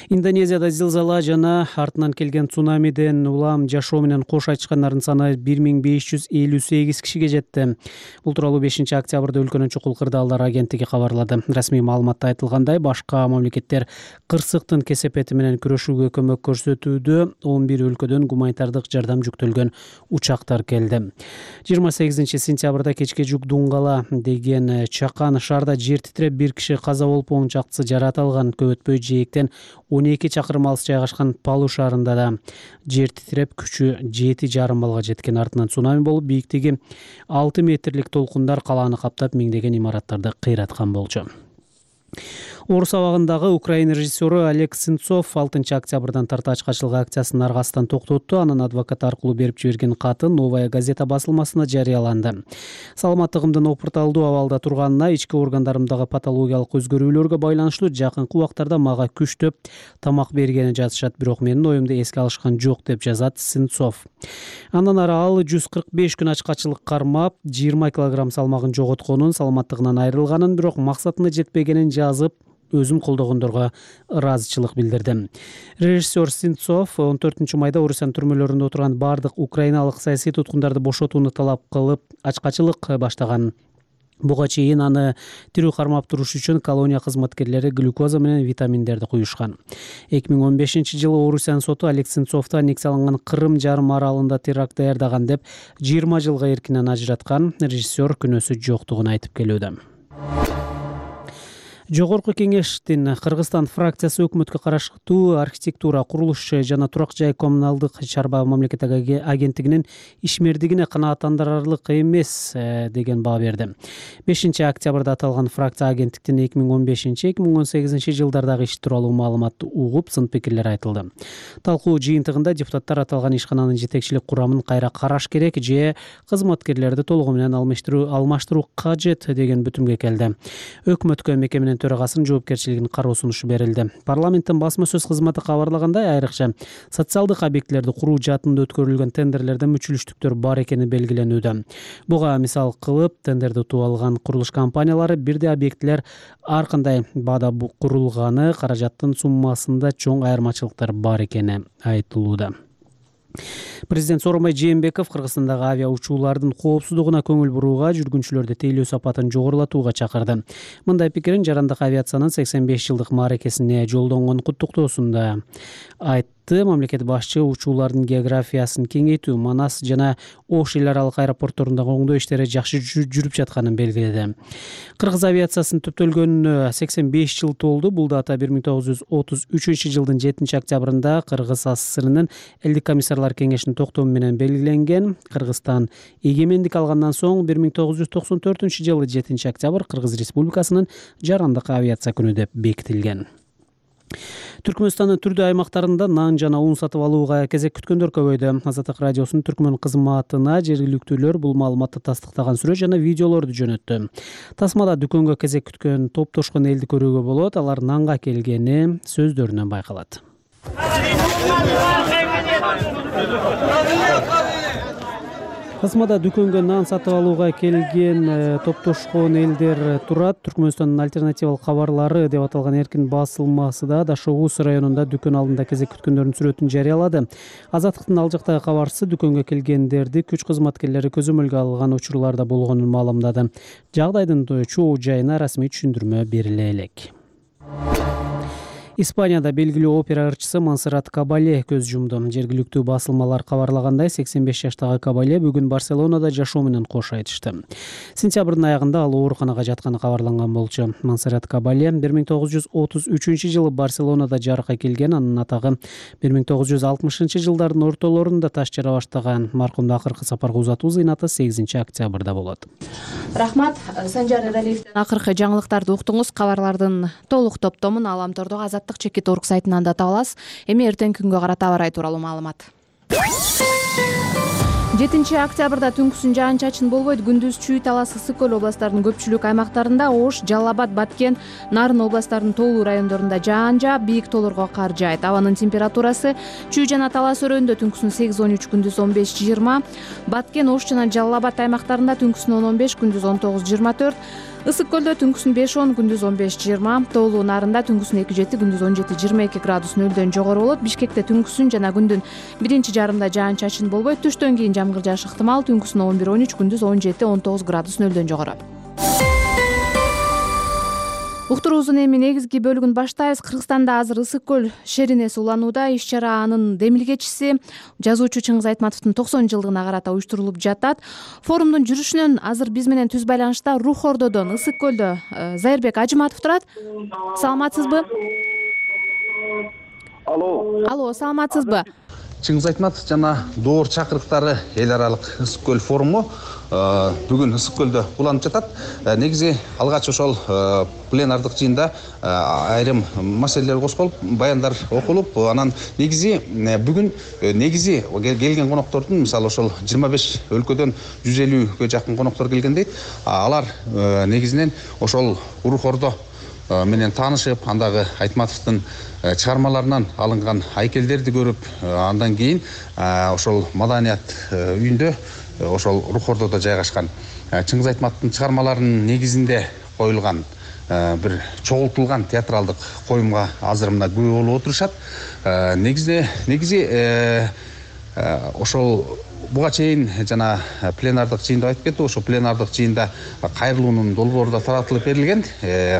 Индонезияда зилзала жана артынан келген цунамиден улам жашоо менен кош айтышкандардын саны бир миң беш жүз элүү сегиз кишиге жетти. Бул тууралуу бешинчи октябрда өлкөнүн чукул кырдаалдар агенттиги кабарлады. Расмий маалыматта айтылгандай, башка мамлекеттер кырсыктын кесепети менен күрөшүүгө көмөк көрсөтүүдө. он бир өлкөдөн гуманитардык жардам жүктөлгөн учактар келди. жыйырма сегизинчи сентябрда кечке жүк дуңгала деген чакан шаарда жер титиреп бир киши каза болуп, он чактысы жаракат алган. Көп өтпөй жээктен он эки чакырым алыс жайгашкан Палу шаарында да жер титиреп күчү жети жарым балга жеткен. Артынан цунами болуп, бийиктиги алты метрлик толкундар калааны каптап, миңдеген имараттарды кыйраткан болчу. Орус абагындагы Украина режиссеру Олег Сенцов алтынчы октябрдан тарта ачкачылык акциясынын аргасынан токтотту. Анын адвокаты аркылуу берип жиберген каты Новая газета басылмасына жарыяланды. Саламаттыгымдын опурталдуу абалда турганына, ички органдарымдагы патологиялык өзгөрүүлөргө байланыштуу жакынкы убактарда мага күчтөп тамак бергени жазышат, бирок менин оюмду эске алышкан жок, деп жазат Сенцов. Андан ары ал жүз кырк беш күн ачкачылык кармап, жыйырма килограмм салмагын жоготконун, саламаттыгынан айрылганын, бирок максатына жетпегенин жазып, өзүн колдогондорго ыраазычылык билдирди. Режиссер Сенцов он төртүнчү майда Орусиянын түрмөлөрүндө отурган бардык украиналык саясий туткундарды бошотууну талап кылып ачкачылык баштаган. Буга чейин аны тирүү кармап туруш үчүн колония кызматкерлери глюкоза менен витаминдерди куюшкан. эки миң он бешинчи жылы Орусиянын соту Олег Сенцовду аннексияланган Кырым жарым аралында теракт даярдаган деп жыйырма жылга эркинен ажыраткан. Режиссер күнөөсү жоктугун айтып келүүдө. Жогорку кеңештин Кыргызстан фракциясы өкмөткө караштуу архитектура, курулуш жана турак жай коммуналдык чарба мамлекеттик агенттигинин ишмердигине канааттандырарлык эмес деген баа берди. бешинчи октябрда аталган фракция агенттиктин эки миң он бешинчи эки миң он сегизинчи жылдардагы иши тууралуу маалыматты угуп, сын пикирлер айтылды. Талкуу жыйынтыгында депутаттар аталган ишкананын жетекчилик курамын кайра караш керек же кызматкерлерди толугу менен алмаштыруу кажет деген бүтүмгө келди. Өкмөткө мекеменин төрагасынын жоопкерчилигин кароо сунушу берилди. Парламенттин басма сөз кызматы кабарлагандай, айрыкча социалдык объектилерди куруу жаатында өткөрүлгөн тендерлерде мүчүлүштүктөр бар экени белгиленүүдө. Буга мисал кылып, тендерди утуп алган курулуш компаниялары бирдей объектилер ар кандай баада курулганы, каражаттын суммасында чоң айырмачылыктар бар экени айтылууда. Президент Сооронбай Жээнбеков Кыргызстандагы авиа учуулардын коопсуздугуна көңүл бурууга, жүргүнчүлөрдү тейлөө сапатын жогорулатууга чакырды. Мындай пикирин жарандык авиациянын сексен беш жылдык мааракесине жолдонгон куттуктоосунда айтты. Мамлекет башчы учуулардын географиясын кеңейтүү, Манас жана Ош эл аралык аэропортторундагы оңдоо иштери жакшы жүрүп жатканын белгиледи. Кыргыз авиациясынын түптөлгөнүнө сексен беш жыл толду. Бул дата бир миң тогуз жүз отуз үчүнчү жылдын жетинчи октябрында Кыргыз АССРнын элдик комиссарлар кеңешинде конституциянын токтому менен белгиленген. Кыргызстан эгемендик алгандан соң бир миң тогуз жүз токсон төртүнчү жылы жетинчи октябрь Кыргыз Республикасынын жарандык авиация күнү деп бекитилген. Түркмөнстандын түрдүү аймактарында нан жана ун сатып алууга кезек күткөндөр көбөйдү. Азаттык радиосунун Түркмөн кызматына жергиликтүүлөр бул маалыматты тастыктаган сүрөт жана видеолорду жөнөттү. Тасмада дүкөнгө кезек күткөн топтошкон элди көрүүгө болот. Алар нанга келгени сөздөрүнөн байкалат. Тасмада дүкөнгө нан сатып алууга келген топтошкон элдер турат. Түркмөнстандын альтернативалык кабарлары деп аталган эркин басылмасы да Дашогуз районунда дүкөн алдында кезек күткөндөрдүн сүрөтүн жарыялады. Азаттыктын ал жактагы кабарчысы дүкөнгө келгендерди күч кызматкерлери көзөмөлгө алган учурларда болгонун маалымдады. Жагдайдын чоо жайына расмий түшүндүрмө бериле элек. Испанияда белгилүү опера ырчысы Монсеррат Кабале көз жумду. Жергиликтүү басылмалар кабарлагандай, сексен беш жаштагы Кабале бүгүн Барселонада жашоо менен кош айтышты. Сентябрдын аягында ал ооруканага жатканы кабарланган болчу. Монсеррат Кабале бир миң тогуз жүз отуз үчүнчү жылы Барселонада жарыкка келген. Анын атагы бир миң тогуз жүз алтымышынчы жылдардын ортолорунда таш жара баштаган. Маркумду акыркы сапарга узатуу зыйнаты сегизинчи октябрда болот. Рахмат, Санжар Эралиевден акыркы жаңылыктарды уктуңуз. Кабарлардын толук топтомун Аламтордогу Азаттык чекит орг сайтынан да таба аласыз. Эми эртең күнгө карата аба ырайы тууралуу маалымат. жетинчи октябрда түнкүсүн жаан-чачын болбойт. Күндүз Чүй, Талас, Ысык көл областтарынын көпчүлүк аймактарында, Ош, Жалал Абад, Баткен, Нарын областтарынын тоолуу райондорунда жаан жаап, бийик тоолорго кар жаайт. Абанын температурасы Чүй жана Талас өрөөнүндө түнкүсүн сегиз он үч, күндүз он беш жыйырма, Баткен, Ош жана Жалал Абад аймактарында түнкүсүн он он беш, күндүз он тогуз жыйырма төрт, Ысык көлдө түнкүсүн беш он, күндүз он беш жыйырма, тоолуу Нарында түнкүсүн эки жети, күндүз он жети жыйырма эки градус нөлдөн жогору болот. Бишкекте түнкүсүн жана күндүн биринчи жарымда жаан-чачын болбойт. Түштөн кийин жамгыр жаашы ыктымал. Түнкүсүн он бир он үч, күндүз он жети он тогуз градус нөлдөн жогору. Уктуруубуздун эми негизги бөлүгүн баштайбыз. Кыргызстанда азыр Ысык көл шерине сууланууда. Иш-чара анын демилгечиси жазуучу Чыңгыз Айтматовдун токсон жылдыгына карата уюштурулуп жатат. Форумдун жүрүшүнөн азыр биз менен түз байланышта Рух Ордодон Ысык көлдө Зайырбек Ажыматов турат. Саламатсызбы? Алло. Алло, саламатсызбы? Чыңгыз Айтматов жана доор чакырыктары эл аралык Ысык көл форуму бүгүн Ысык көлдө уланып жатат. Негизи алгач ошол пленардык жыйында айрым маселелер козголуп, баяндар окулуп, анан негизи бүгүн негизи келген коноктордун, мисалы ошол жыйырма беш өлкөдөн жүз элүүгө жакын коноктор келген дейт. Алар негизинен ошол Рух Ордо менен таанышып, андагы Айтматовдун чыгармаларынан алынган айкелдерди көрүп, андан кийин ошол маданият үйүндө ошол Рух Ордодо жайгашкан Чыңгыз Айтматовдун чыгармаларынын негизинде коюлган бир чогултулган театралдык коюмга азыр мына күбө болуп отурушат. Негизи негизи ошол буга чейин жана пленардык жыйында айтып кетти, ошо пленардык жыйында кайрылуунун долбоору да таратылып берилген.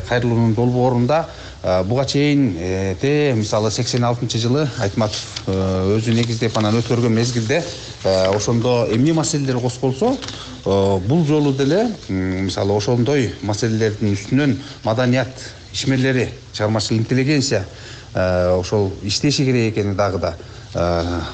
Кайрылуунун долбоорунда буга чейин те мисалы сексен алтынчы жылы Айтматов өзү негиздеп анан өткөргөн мезгилде ошондо эмне маселелер козголсо, бул жолу деле мисалы ошондой маселелердин үстүнөн маданият ишмерлери, чыгармачыл интеллигенция ошол иштеши керек экени дагы да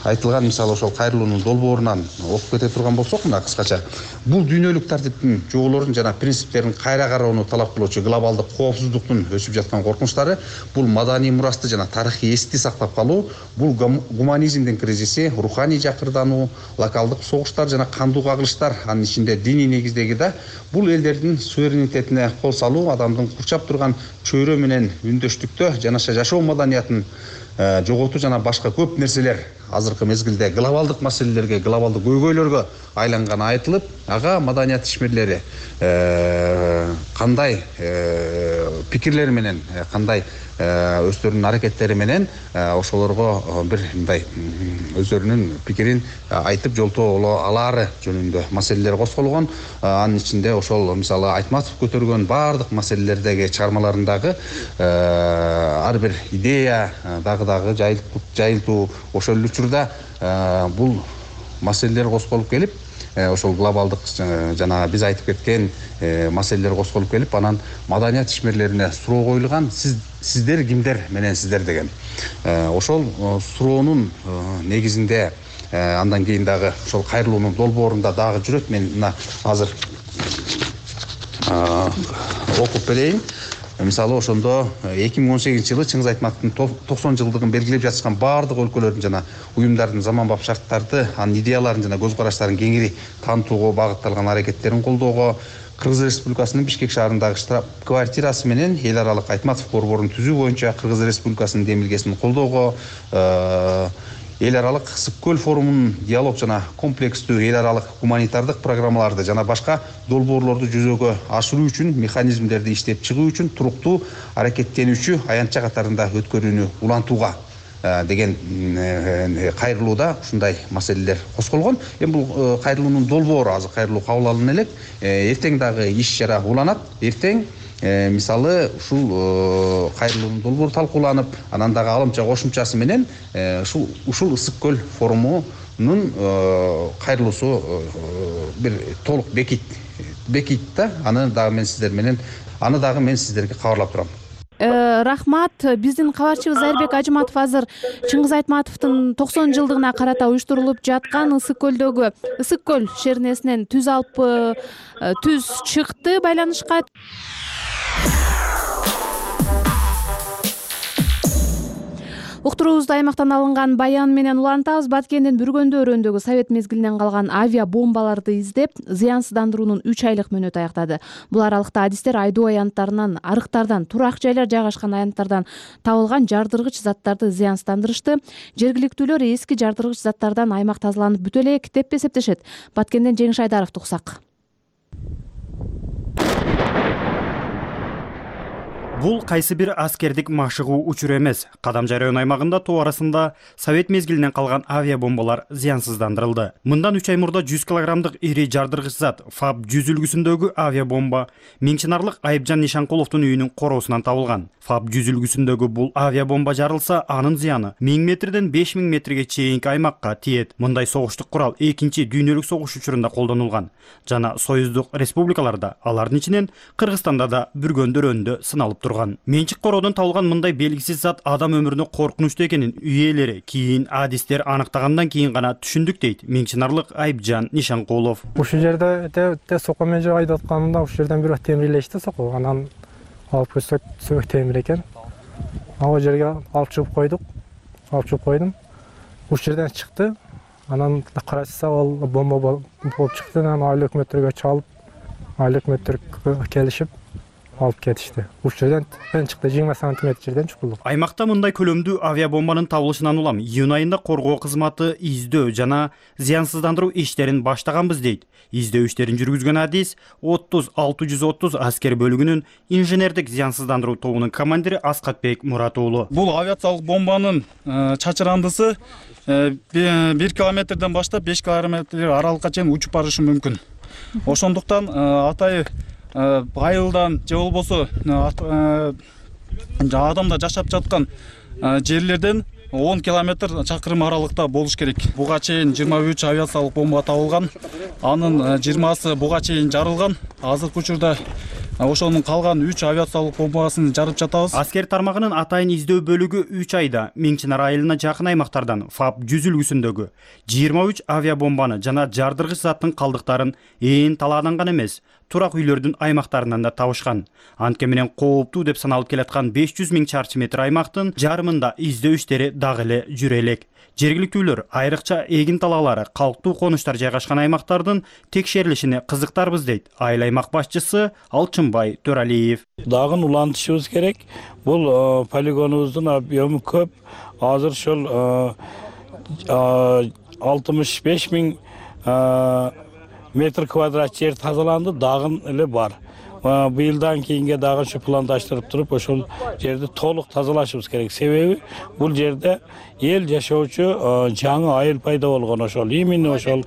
айтылган. Мисалы ошол кайрылуунун долбоорунан окуп кете турган болсок, мына кыскача бул дүйнөлүк тартиптин жоболорун жана принциптерин кайра кароону талап кылуучу глобалдык коопсуздуктун өсүп жаткан коркунучтары, бул маданий мурасты жана тарыхый эсти сактап калуу, бул гуманизмдин кризиси, руханий жакырдануу, локалдык согуштар жана кандуу кагылыштар, анын ичинде диний негиздеги да, бул элдердин суверенитетине кол салуу, адамдын курчап турган чөйрө менен үндөштүктө жанаша жашоо маданиятын жоготуу жана башка көп нерселер азыркы мезгилде глобалдык маселелерге, глобалдык көйгөйлөргө айланганы айтылып, ага маданият ишмерлери кандай пикирлери менен, кандай өздөрүнүн аракеттери менен ошолорго бир мындай өздөрүнүн пикирин айтып жолтоо алаары жөнүндө маселелер козголгон. Анын ичинде ошол мисалы Айтматов көтөргөн баардык маселелердеги чыгармаларындагы ар бир идея дагы дагы жайылтуу ошол эле учурда бул маселелер козголуп келип, ошол глобалдык жана биз айтып кеткен маселелер козголуп келип, анан маданият ишмерлерине суроо коюлган, сиз сиздер кимдер менен сиздер деген. Ошол суроонун негизинде андан кийин дагы ошол кайрылуунун долбоорунда дагы жүрөт. Мен мына азыр окуп берейин. Мисалы ошондо эки миң он сегизинчи жылы Чыңгыз Айтматовдун токсон жылдыгын белгилеп жатышкан баардык өлкөлөрдүн жана уюмдардын заманбап шарттарды, анын идеяларын жана көз караштарын кеңири таанытууга багытталган аракеттерин колдоого, Кыргыз Республикасынын Бишкек шаарындагы штаб-квартирасы менен эл аралык Айтматов борборун түзүү боюнча Кыргыз Республикасынын демилгесин колдоого, эл аралык Ысык көл форумунун диалог жана комплекстүү эл аралык гуманитардык программаларды жана башка долбоорлорду жүзөгө ашыруу үчүн механизмдерди иштеп чыгуу үчүн туруктуу аракеттенүүчү аянтча катарында өткөрүүнү улантууга деген кайрылууда ушундай маселелер козголгон. Эми бул кайрылуунун долбоору азыр кайрылуу кабыл алына элек. Эртең дагы иш чара уланат. Эртең мисалы ушул кайрылуунун долбоору талкууланып, анан дагы алымча кошумчасы менен ушул ушул Ысык көл форумунун кайрылуусу бир толук бекит бекит да. Аны дагы мен сиздер менен аны дагы мен сиздерге кабарлап турам. Рахмат. Биздин кабарчыбыз Айырбек Ажыматов азыр Чыңгыз Айтматовдун токсон жылдыгына карата уюштурулуп жаткан Ысык көлдөгү Ысык көл шернесинен түз алып түз чыкты байланышка. Уктуруубузду аймактан алынган баян менен улантабыз. Баткендин Бүргөндө өрөөндөгү совет мезгилинен калган авиа бомбаларды издеп, зыянсыздандыруунун үч айлык мөөнөтү аяктады. Бул аралыкта адистер айдоо аянттарынан, арыктардан, турак жайлар жайгашкан аянттардан табылган жардыргыч заттарды зыянсыздандырышты. Жергиликтүүлөр эски жардыргыч заттардан аймак тазаланып бүтө элек деп эсептешет. Баткенден Жеңиш Айдаровду уксак. Бул кайсы бир аскердик машыгуу учуру эмес. Кадамжай район аймагында тоо арасында совет мезгилинен калган авиа бомбалар зыянсыздандырылды. Мындан үч ай мурда жүз килограммдык ири жардыргыч зат ФАБ жүз үлгүсүндөгү авиа бомба Миңчинарлык Айыпжан Нишанкуловдун үйүнүн короосунан табылган. ФАБ жүз үлгүсүндөгү бул авиа бомба жарылса, анын зыяны миң метрден беш миң метрге чейинки аймакка тиет. Мындай согуштук курал экинчи дүйнөлүк согуш учурунда колдонулган жана союздук республикаларда, алардын ичинен Кыргызстанда да Бүргөндө өрөөндө сыналып турган. Менчик короодон табылган мындай белгисиз зат адам өмүрүнө коркунучтуу экенин үй ээлери кийин адистер аныктагандан кийин гана түшүндүк дейт Миңчинарлык Айыпжан Нишанкулов. Ушул жерде те сокко менен айдап атканымда ушул жерден бирөө темирлешти сокко. Анан алып көрсөк сөөк темир экен. Ал жерге алып чыгып койдук. Алып чыгып койдум. Ушул жерден чыкты. Анан караса ал бомба болуп чыкты. Анан айыл өкмөттөргө чалып, айыл өкмөттөр келишип алып кетишти. Ушул жерден чыкты, жыйырма сантиметр жерден чукулду. Аймакта мындай көлөмдүү авиа бомбанын табылышынан улам июнь айында коргоо кызматы издөө жана зыянсыздандыруу иштерин баштаганбыз дейт. Издөө иштерин жүргүзгөн адис отуз алты жүз отуз аскер бөлүгүнүн инженердик зыянсыздандыруу тобунун командири Аскатбек Мурат уулу. Бул авиациялык бомбанын чачырандысы бир километрден баштап беш километр аралыкка чейин учуп барышы мүмкүн. Ошондуктан атайы айылдан же болбосо адамдар жашап жаткан жерлерден он километр чакырым аралыкта болуш керек. Буга чейин жыйырма үч авиациялык бомба табылган. Анын жыйырмасы буга чейин жарылган. Азыркы учурда ошонун калган үч авиациялык бомбасын жарып жатабыз. Аскер тармагынын атайын издөө бөлүгү үч айда Миңчинар айылына жакын аймактардан ФАБ жүз үлгүсүндөгү жыйырма үч авиа бомбаны жана жардыргыч заттын калдыктарын ээн талаадан гана эмес, турак үйлөрдүн аймактарынан да табышкан. Антке менен кооптуу деп саналып келаткан беш жүз миң чарчы метр аймактын жарымында издөө иштери дагы эле жүрө элек. Жергиликтүүлөр айрыкча эгин талаалары, калктуу конуштар жайгашкан аймактардын текшерилишине кызыктарбыз дейт айыл аймак башчысы Алчынбай Төралиев. Дагы улантышыбыз керек. Бул полигонубуздун объему көп. Азыр ошол алтымыш беш миң метр квадрат жер тазаланды, дагы эле бар. Быйылдан кийинге дагы ушу пландаштырып туруп, ошол жерди толук тазалашыбыз керек. Себеби бул жерде эл жашоочу жаңы айыл пайда болгон, ошол именно ошол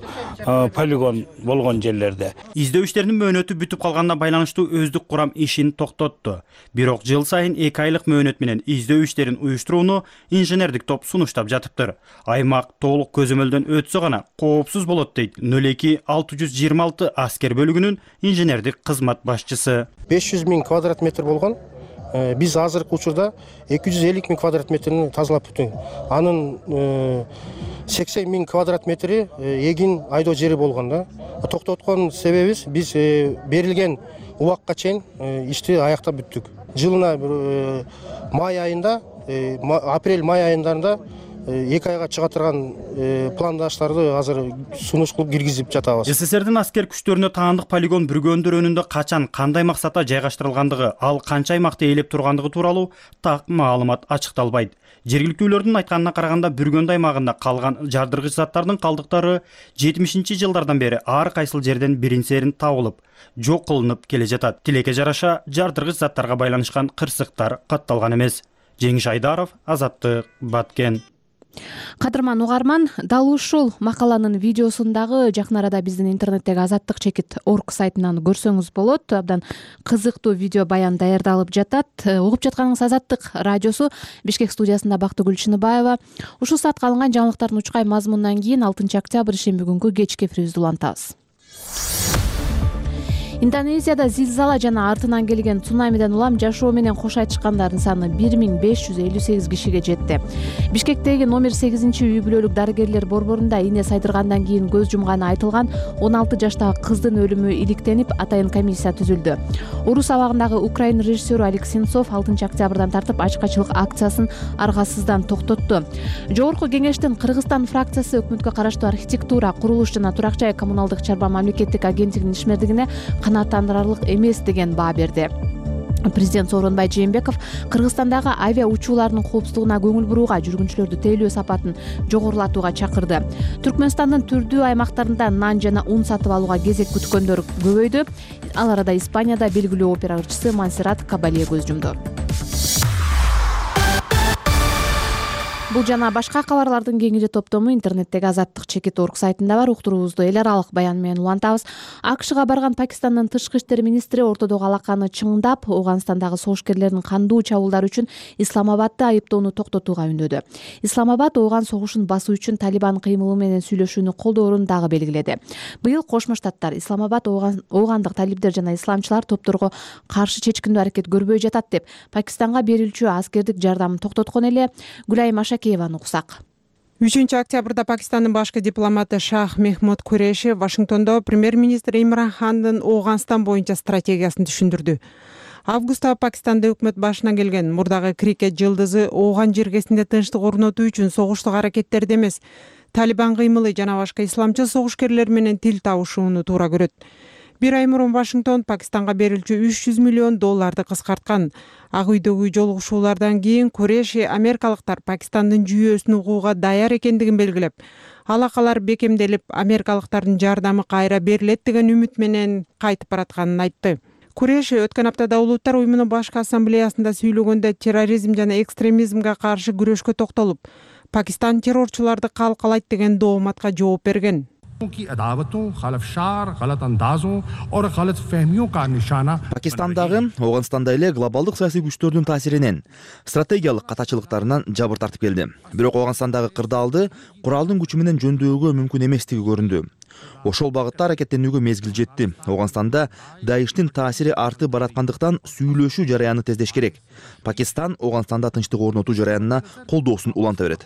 полигон болгон жерлерде. Издөө иштеринин мөөнөтү бүтүп калганына байланыштуу өздүк курам ишин токтотту. Бирок жыл сайын эки айлык мөөнөт менен издөө иштерин уюштурууну инженердик топ сунуштап жатыптыр. Аймак толук көзөмөлдөн өтсө гана коопсуз болот дейт нөл эки алты жүз жыйырма алты аскер бөлүгүнүн инженердик кызмат башчысы. беш жүз миң квадрат метр болгон биз азыркы учурда эки жүз элүү миң квадрат метрин тазалап бүттүк. Анын сексен миң квадрат метри эгин айдоо жери болгон да. Токтоткон себебибиз биз берилген убакка чейин ишти аяктап бүттүк. Жылына май айында, апрель-май айындарында эки айга чыга турган пландаштарды азыр сунуш кылып киргизип жатабыз. СССРдин аскер күчтөрүнө таандык полигон бүргөндөр өнүндө качан, кандай максатта жайгаштырылгандыгы, ал канча аймакты ээлеп тургандыгы тууралуу так маалымат ачыкталбайт. Жергиликтүүлөрдүн айтканына караганда бүргөндө аймагында калган жардыргыч заттардын калдыктары жетимишинчи жылдардан бери ар кайсыл жерден бирин серин табылып, жок кылынып келе жатат. Тилекке жараша жардыргыч заттарга байланышкан кырсыктар катталган эмес. Жеңиш Айдаров, Азаттык, Баткен. Кадырман угарман, дал ушул макаланын видеосун дагы жакын арада биздин интернеттеги азаттык чекит орг сайтынан көрсөңүз болот. Абдан кызыктуу видео баян даярдалып жатат. Угуп жатканыңыз Азаттык радиосу, Бишкек студиясында Бактыгүл Чыныбаева. Ушул саатка алынган жаңылыктардын учкай мазмунунан кийин алтынчы октябрь ишемби күнгү кечки эфирибизди улантабыз. Индонезияда зилзала жана артынан келген цунамиден улам жашоо менен кош айтышкандардын саны бир миң беш жүз элүү сегиз кишиге жетти. Бишкектеги номер сегизинчи үй бүлөлүк дарыгерлер борборунда ийне сайдыргандан кийин көз жумганы айтылган он алты жаштагы кыздын өлүмү иликтенип, атайын комиссия түзүлдү. Орус абагындагы украин режиссеру Алик Сенцов алтынчы октябрдан тартып ачкачылык акциясын аргасыздан токтотту. Жогорку кеңештин Кыргызстан фракциясы өкмөткө караштуу архитектура, курулуш жана турак жай коммуналдык чарба мамлекеттик агенттигинин ишмердигине канааттандырарлык эмес деген баа берди. Президент Сооронбай Жээнбеков Кыргызстандагы авиа учууларынын коопсуздугуна көңүл бурууга, жүргүнчүлөрдү тейлөө сапатын жогорулатууга чакырды. Түркмөнстандын түрдүү аймактарында нан жана ун сатып алууга кезек күткөндөр көбөйдү. Ал арада Испанияда белгилүү опера ырчысы Монсеррат Кабале көз жумду. Бул жана башка кабарлардын кеңири топтому интернеттеги азаттык чекит орг сайтында бар. Уктуруубузду эл аралык баян менен улантабыз. АКШга барган Пакистандын тышкы иштер министри ортодогу алаканы чыңдап, Ооганстандагы согушкерлердин кандуу чабуулдары үчүн Исламабадды айыптоону токтотууга үндөдү. Исламабад Ооган согушун басуу үчүн Талибан кыймылы менен сүйлөшүүнү колдоорун дагы белгиледи. Быйыл Кошмо Штаттар Исламабад Оогандык талибдер жана исламчылар топторго каршы чечкиндүү аракет көрбөй жатат деп Пакистанга берилчү аскердик жардамын токтоткон эле. Гүлайым Ашакееваны уксак. үчүнчү октябрда Пакистандын башкы дипломаты Шах Мехмуд Куреши Вашингтондо премьер-министр Имран Хандын Ооганстан боюнча стратегиясын түшүндүрдү. Августта Пакистанда өкмөт башына келген мурдагы крикет жылдызы Ооган жергесинде тынчтык орнотуу үчүн согуштук аракеттерди эмес, Талибан кыймылы жана башка исламчыл согушкерлер менен тил табышууну туура көрөт. Бир ай мурун Вашингтон Пакистанга берилчү үч жүз миллион долларды кыскарткан. Ак үйдөгү жолугушуулардан кийин Куреши америкалыктар Пакистандын жүйөсүн угууга даяр экендигин белгилеп, алакалар бекемделип, америкалыктардын жардамы кайра берилет деген үмүт менен кайтып баратканын айтты. Куреши өткөн аптада Улуттар уюмунун башкы ассамблеясында сүйлөгөндө терроризм жана экстремизмге каршы күрөшкө токтолуп, Пакистан террорчуларды калкалайт деген дооматка жооп берген. Пакистандагы, Ооганстанда эле глобалдык саясий күчтөрдүн таасиринен, стратегиялык катачылыктарынан жабыр тартып келди. Бирок Ооганстандагы кырдаалды куралдын күчү менен жөндөөгө мүмкүн эместиги көрүндү. Ошол багытта аракеттенүүгө мезгил жетти. Ооганстанда Даиштин таасири артып бараткандыктан сүйлөшүү жараяны тездеш керек. Пакистан Ооганстанда тынчтык орнотуу жараянына колдоосун уланта берет.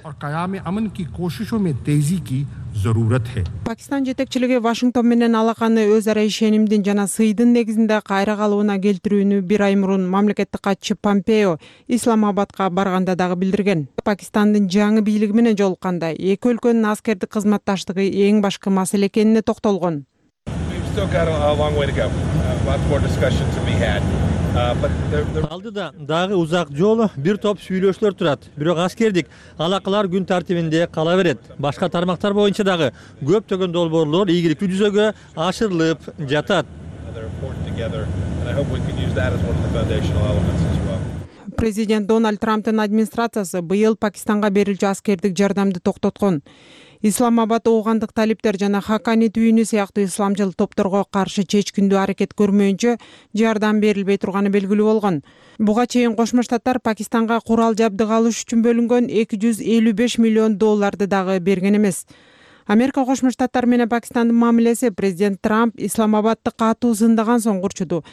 Пакистан жетекчилиги Вашингтон менен алаканы өз ара ишенимдин жана сыйдын негизинде кайра калыбына келтирүүнү бир ай мурун мамлекеттик катчы Помпео Исламабадка барганда дагы билдирген. Пакистандын жаңы бийлиги менен жолукканда эки өлкөнүн аскердик кызматташтыгы эң башкы маселе экенине токтолгон. Алдыда дагы узак жолу бир топ сүйлөшүүлөр турат. Бирок аскердик алакалар күн тартибинде кала берет. Башка тармактар боюнча дагы көптөгөн долбоорлор ийгиликтүү жүзөгө ашырылып жатат. Президент Дональд Трамптын администрациясы быйыл Пакистанга берилчү аскердик жардамды токтоткон. Исламабад Оогандык талиптер жана Хакани түйүнү сыяктуу исламчыл топторго каршы чечкиндүү аракет көрмөйүнчө жардам берилбей турганы белгилүү болгон. Буга чейин Кошмо Штаттар Пакистанга курал жабдык алыш үчүн бөлүнгөн эки жүз элүү беш миллион долларды дагы берген эмес. Америка Кошмо Штаттар менен Пакистандын мамилеси президент Трамп Исламабадды катуу зындаган соң курчуду.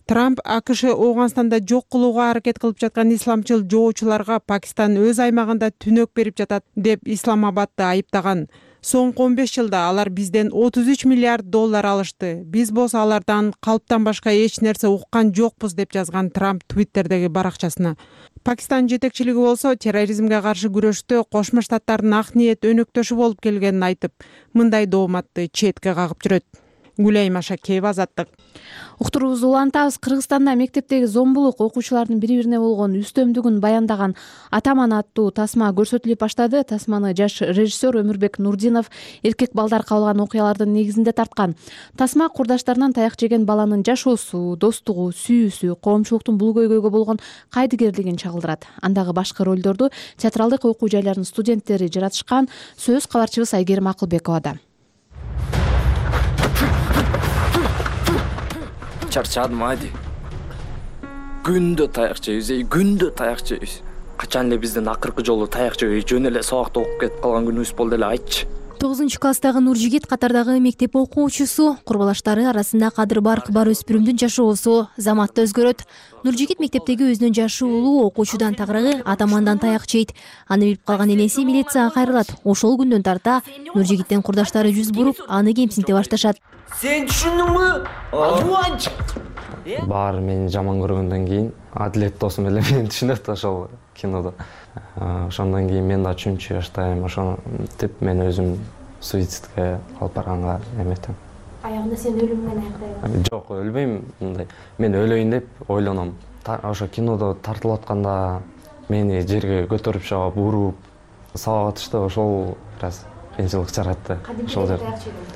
Трамп АКШ Ооганстанда жок кылууга аракет кылып жаткан исламчыл жоочуларга Пакистан өз аймагында түнөк берип жатат деп Исламабадды айыптаган. Соңку он беш жылда алар бизден отуз үч миллиард доллар алышты. Биз болсо алардан калптан башка эч нерсе уккан жокпуз деп жазган Трамп Твиттердеги баракчасына. Пакистан жетекчилиги болсо терроризмге каршы күрөштө Кошмо Штаттардын ак ниет өнөктөшү болуп келгенин айтып, мындай дооматты четке кагып жүрөт. Гүлайым Ашакеева, Азаттык. Уктуруубузду улантабыз. Кыргызстанда мектептеги зомбулук окуучулардын бири-бирине болгон үстөмдүгүн баяндаган Атаман аттуу тасма көрсөтүлүп баштады. Тасманы жаш режиссер Өмүрбек Нурдинов эркек балдар кабылган окуялардын негизинде тарткан. Тасма курдаштарынан таяк жеген баланын жашоосу, достугу, сүйүүсү, коомчулуктун бул көйгөйгө болгон кайдыгерлигин чагылдырат. Андагы башкы ролдорду театралдык окуу жайларынын студенттери жаратышкан. Сөз кабарчыбыз Айгерим Акылбековада. Чарчадым айди. Күндө таяк жейбиз, күндө таяк жейбиз. Качан эле биздин акыркы жолу таяк жебей жөн эле сабакта окуп кетип калган күнүбүз болду эле айтчы. тогузунчу класстагы Нуржигит катардагы мектеп окуучусу, курбалаштары арасында кадыр барк бар өспүрүмдүн жашоосу заматта өзгөрөт. Нуржигит мектептеги өзүнүн жашы улуу окуучудан тагыраагы Атамандан таяк жейт. Аны билип калган энеси милицияга кайрылат. Ошол күндөн тарта Нуржигиттен курдаштары жүз буруп, аны кемсинте башташат. Сен түшүндүңбү? Алуанч. Баары мени жаман көргөндөн кийин Адилет досум эле мени түшүнөт ошол кинодо. Ошондон кийин мен да үчүнчү жаштайм, ошентип мен өзүм суицидке алып барганга эметем. Аягында сен өлүм менен аяктайсың? Жок, өлбөйм мындай. Мен өлөйүн деп ойлоном. Ошо кинодо тартылып атканда мени жерге көтөрүп чыгып, уруп, сабап атышты, ошол бир аз кыйынчылык жаратты. Ошол жер.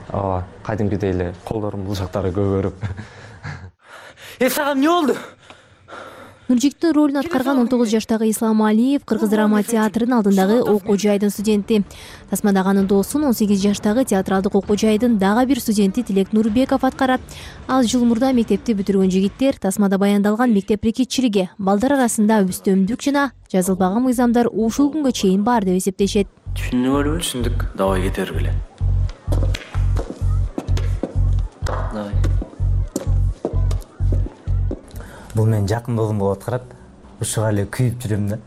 Ооба, кадимкидей эле колдорум булжактары көгөрүп. Э, сага эмне болду? Нуржигиттин ролун аткарган он тогуз жаштагы Ислам Алиев Кыргыз драма театрынын алдындагы окуу жайдын студенти. Тасмадагы анын доосун он сегиз жаштагы театралдык окуу жайдын дагы бир студенти Тилек Нурбеков аткарат. Аз жыл мурда мектепти бүтүргөн жигиттер Тасмада баяндалган мектеп рекетчилиги, балдар арасында үстөмдүк жана жазылбаган мыйзамдар ушул күнгө чейин бар деп эсептешет. Түшүндүңөрбү? Түшүндүк. Давай кетербиле. Давай. Бул менин жакын досум болуп аткарат. Ушуга эле күйүп жүрөм да.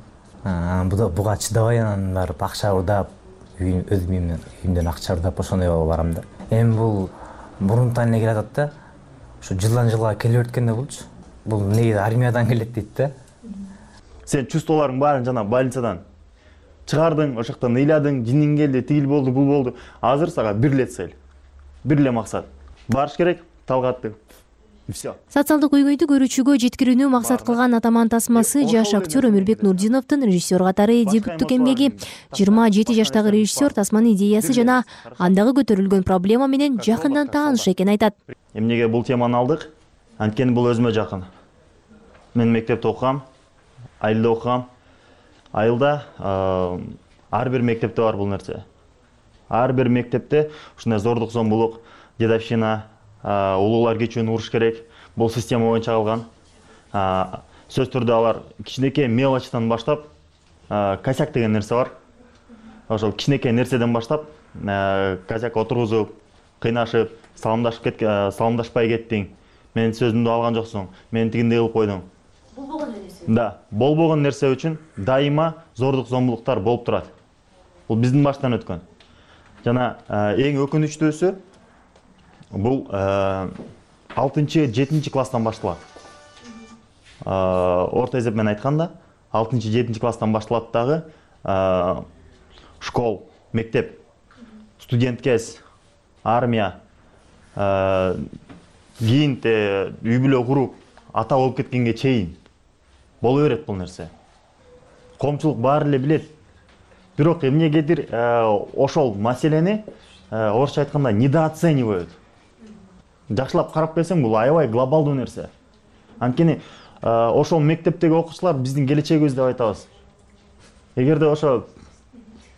Буга чыдабай анан барып акча урдап, өз үйүмдөн акча урдап ошондой барам да. Эми бул мурунтан эле келатат да. Ушу жылдан жылга келип өткөндө болчу. Бул негизи армиядан келет дейт да. Сен чувстволоруң баарын жана больницадан чыгардың, ошоктон ыйладың, жиниң келди, тигил болду, бул болду. Азыр сага бир эле цель, бир эле максат. Барыш керек, талгатты. Все. Социалдык көйгөйдү көрүүчүгө жеткирүүнү максат кылган Атаман тасмасы жаш актер Өмүрбек Нурдиновдун режиссер катары дебюттук эмгеги. жыйырма жети жаштагы режиссер тасманын идеясы жана андагы көтөрүлгөн проблема менен жакындан тааныш экенин айтат. Эмнеге бул теманы алдык? Анткени бул өзүмө жакын. Мен мектепте окугам, айылда окугам. Айылда ар бир мектепте бар бул нерсе. Ар бир мектепте ушундай зордук, зомбулук, дедовщина, улуулар кечүүнү уруш керек. Бул система боюнча калган. Сөз түрдө алар кичинекей мелочтан баштап, косяк деген нерсе бар. Ошол кичинекей нерседен баштап, косяк отургузуп, кыйнашып, саламдашып кет, саламдашпай кеттиң. Менин сөзүмдү алган жоксуң. Мени тигиндей кылып койдуң. Болбогон нерсе. Да, болбогон нерсе үчүн дайыма зордук, зомбулуктар болуп турат. Бул биздин баштан өткөн. Жана эң өкүнүчтүүсү бул алтынчы, жетинчи класстан башталат. Орто эсеп менен айтканда, алтынчы, жетинчи класстан башталат дагы школ, мектеп, студент кез, армия, кийин үй бүлө куруп, ата болуп кеткенге чейин боло берет бул нерсе. Коомчулук баары эле билет. Бирок эмнегедир ошол маселени орусча айтканда недооценивают. Жакшылап карап келсең, бул аябай глобалдуу нерсе. Анткени ошол мектептеги окуучулар биздин келечегибиз деп айтабыз. Эгерде ошо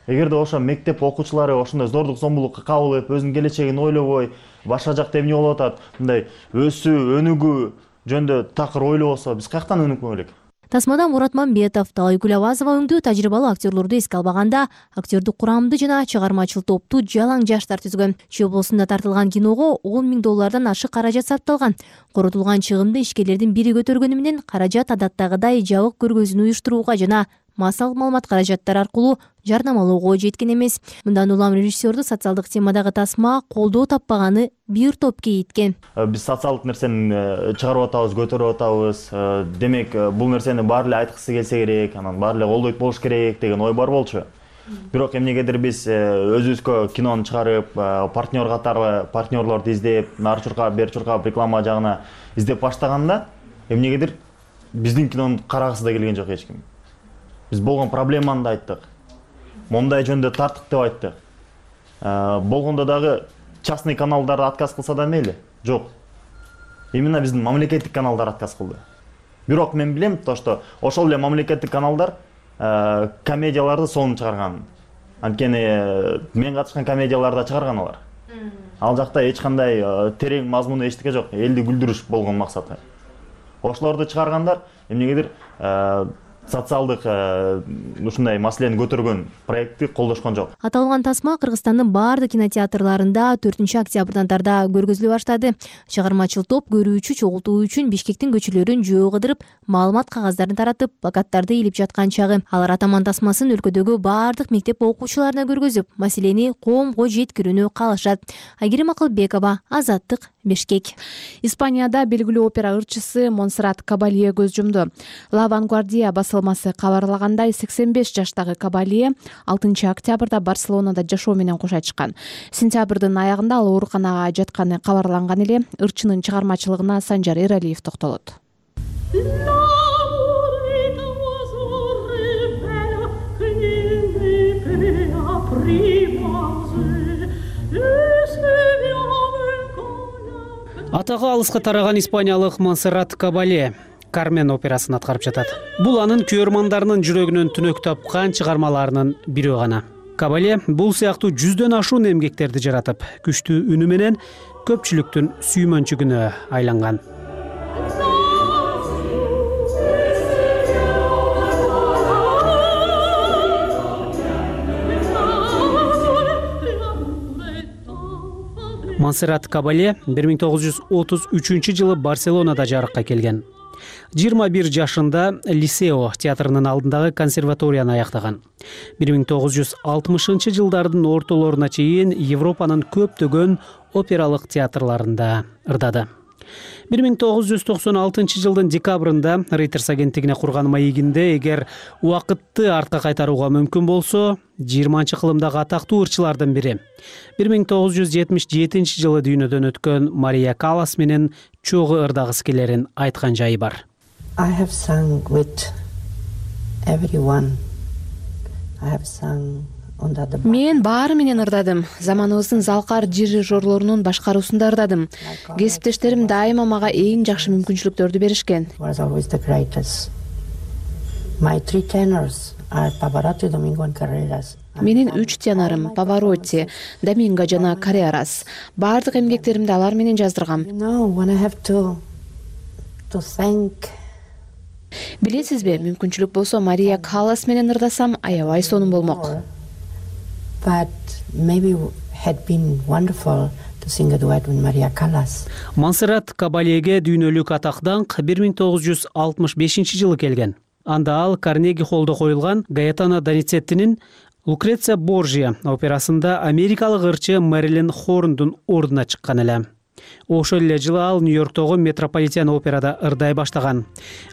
эгерде ошо мектеп окуучулары ошондой зордук, зомбулукка кабылып, өзүнүн келечегин ойлобой, башка жакта эмне болуп атат, мындай өсүү, өнүгүү жөнүндө такыр ойлобосо, биз каяктан өнүкмөк элек? Тасмада Мурат Мамбетов, Талайгүл Авазова өңдүү тажрыйбалуу актерлорду эске албаганда, актердик курамды жана чыгармачыл топту жалаң жаштар түзгөн. Чүй облусунда тартылган киного он миң доллардан ашык каражат сарпталган. Коротулган чыгымды ишкерлердин бири көтөргөнү менен каражат адаттагыдай жабык көргөзүүнү уюштурууга жана массалык маалымат каражаттар аркылуу жарнамалоого жеткен эмес. Мындан улам режиссерду социалдык темадагы тасма колдоо таппаганы бир топ кейиткен. Биз социалдык нерсени чыгарып атабыз, көтөрүп атабыз. Демек, бул нерсени баары эле айткысы келсе керек, анан баары эле колдойт болуш керек деген ой бар болчу. Бирок эмнегедир биз өзүбүзгө кинону чыгарып, партнер катары партнерлорду издеп, нары чуркап, бери чуркап реклама жагына издеп баштаганда, эмнегедир биздин кинону карагысы да келген жок эч ким. Биз болгон проблеманы да айттык. Мондай жөндө тарттык деп айттык. Болгондо дагы частный каналдар отказ кылса да мейли. Жок. Именно биздин мамлекеттик каналдар отказ кылды. Бирок мен билем, то что ошол эле мамлекеттик каналдар комедияларды сонун чыгарган. Анткени мен катышкан комедияларда чыгарган алар. Ал жакта эч кандай терең мазмуну эчтеке жок. Элди күлдүрүш болгон максаты. Ошолорду чыгаргандар эмнегедир социалдык ушундай маселени көтөргөн проектти колдошкон жок. Аталган тасма Кыргызстандын баардык кинотеатрларында төртүнчү октябрдан тарда көргөзүлө баштады. Чыгармачыл топ көрүүчү чогултуу үчүн Бишкектин көчөлөрүн жөө кыдырып, маалымат кагаздарын таратып, плакаттарды илип жаткан чагы. Алар атаман тасмасын өлкөдөгү баардык мектеп окуучуларына көргөзүп, маселени коомго жеткирүүнү каалашат. Айгерим Акылбекова, Азаттык, Бишкек. Испанияда белгилүү опера ырчысы Монсеррат Кабалье көз жумду. La Vanguardia басылмасы кабарлагандай, сексен беш жаштагы Кабалье алтынчы октябрда Барселонада жашоо менен кошо чыккан. Сентябрдын аягында ал ооруканага жатканы кабарланган эле. Ырчынын чыгармачылыгына Санжар Эралиев токтолот. Атагы алыска тараган испаниялык Монсеррат Кабалье Кармен операсын аткарып жатат. Бул анын көрөрмандарынын жүрөгүнөн түнөк тапкан чыгармаларынын бири гана. Кабалье бул сыяктуу жүздөн ашуун эмгектерди жаратып, күчтүү үнү менен көпчүлүктүн сүймөнчүгүнө айланган. Монсеррат Кабалье бир миң тогуз жүз отуз үчүнчү жылы Барселонада жарыкка келген. жыйырма бир жашында Лисео театрынын алдындагы консерваторияны аяктаган. бир миң тогуз жүз алтымышынчы жылдардын ортолоруна чейин Европанын көптөгөн опералык театрларында ырдады. бир миң тогуз жүз токсон алтынчы жылдын декабрында Reuters агенттигине курган маегинде эгер убакытты артка кайтарууга мүмкүн болсо, жыйырманчы кылымдагы атактуу ырчылардын бири бир миң тогуз жүз жетимиш жетинчи жылы дүйнөдөн өткөн Мария Каллас менен чогуу ырдагысы келерин айткан жайы бар. I have sung with everyone. I have sung under the... Мен баары менен ырдадым. Заманыбыздын залкар дирижерлорунун башкаруусунда ырдадым. Кесиптештерим дайыма мага эң жакшы мүмкүнчүлүктөрдү беришкен. Was always the greatest. My three tenors are Pavarotti, Domingo and Carreras. Менин үч тенорум Pavarotti, Domingo жана Carreras. Баардык эмгектеримди алар менен жаздыргам. You know, when I have to to thank... Билесизби, мүмкүнчүлүк болсо Мария Каллас менен ырдасам, аябай сонун болмок. But maybe had been wonderful to sing a duet with Maria Callas. Монсеррат Кабальеге дүйнөлүк атактан бир миң тогуз жүз алтымыш бешинчи жылы келген. Анда ал Карнеги холлдо коюлган Гаэтано Доницеттинин Лукреция Борджиа операсында америкалык ырчы Мэрилин Хорндун ордуна чыккан эле. Ошол эле жылы ал Нью-Йорктогу Метрополитен операда ырдай баштаган.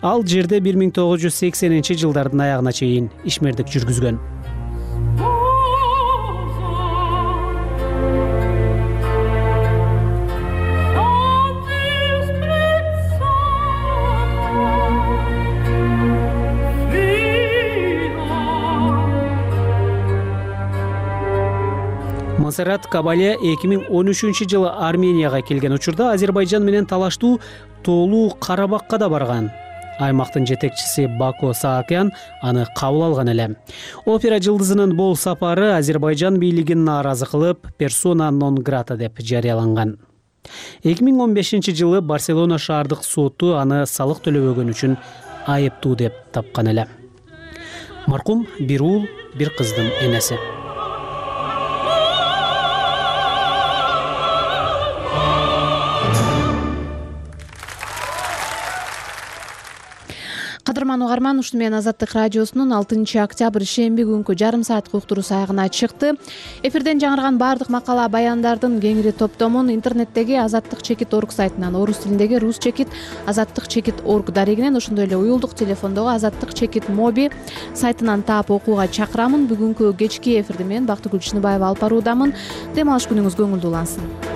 Ал жерде бир миң тогуз жүз сексенинчи жылдардын аягына чейин ишмердик жүргүзгөн. Монсеррат Кабалье эки миң он үчүнчү жылы Арменияга келген учурда Азербайжан менен талаштуу Тоолуу Карабакка да барган. Аймактын жетекчиси Бако Саакян аны кабыл алган эле. Опера жылдызынын бул сапары Азербайжан бийлигин нааразы кылып, персона нон грата деп жарыяланган. эки миң он бешинчи жылы Барселона шаардык соту аны салык төлөбөгөн үчүн айыптуу деп тапкан эле. Маркум бир уул, бир кыздын энеси. Кадырман угарман, ушуну менен Азаттык радиосунун алтынчы октябрь шемби күнкү жарым сааттык уктуруусу аягына чыкты. Эфирден жаңырган баардык макала баяндардын кеңири топтомун интернеттеги азаттык чекит орг сайтынан, орус тилиндеги рус чекит азаттык чекит орг дарегинен, ошондой эле уюлдук телефондогу азаттык чекит моби сайтынан таап окууга чакырамын. Бүгүнкү кечки эфирди мен Бактыгүл Чыныбаева алып баруудамын. Дем алыш күнүңүз көңүлдүү улансын.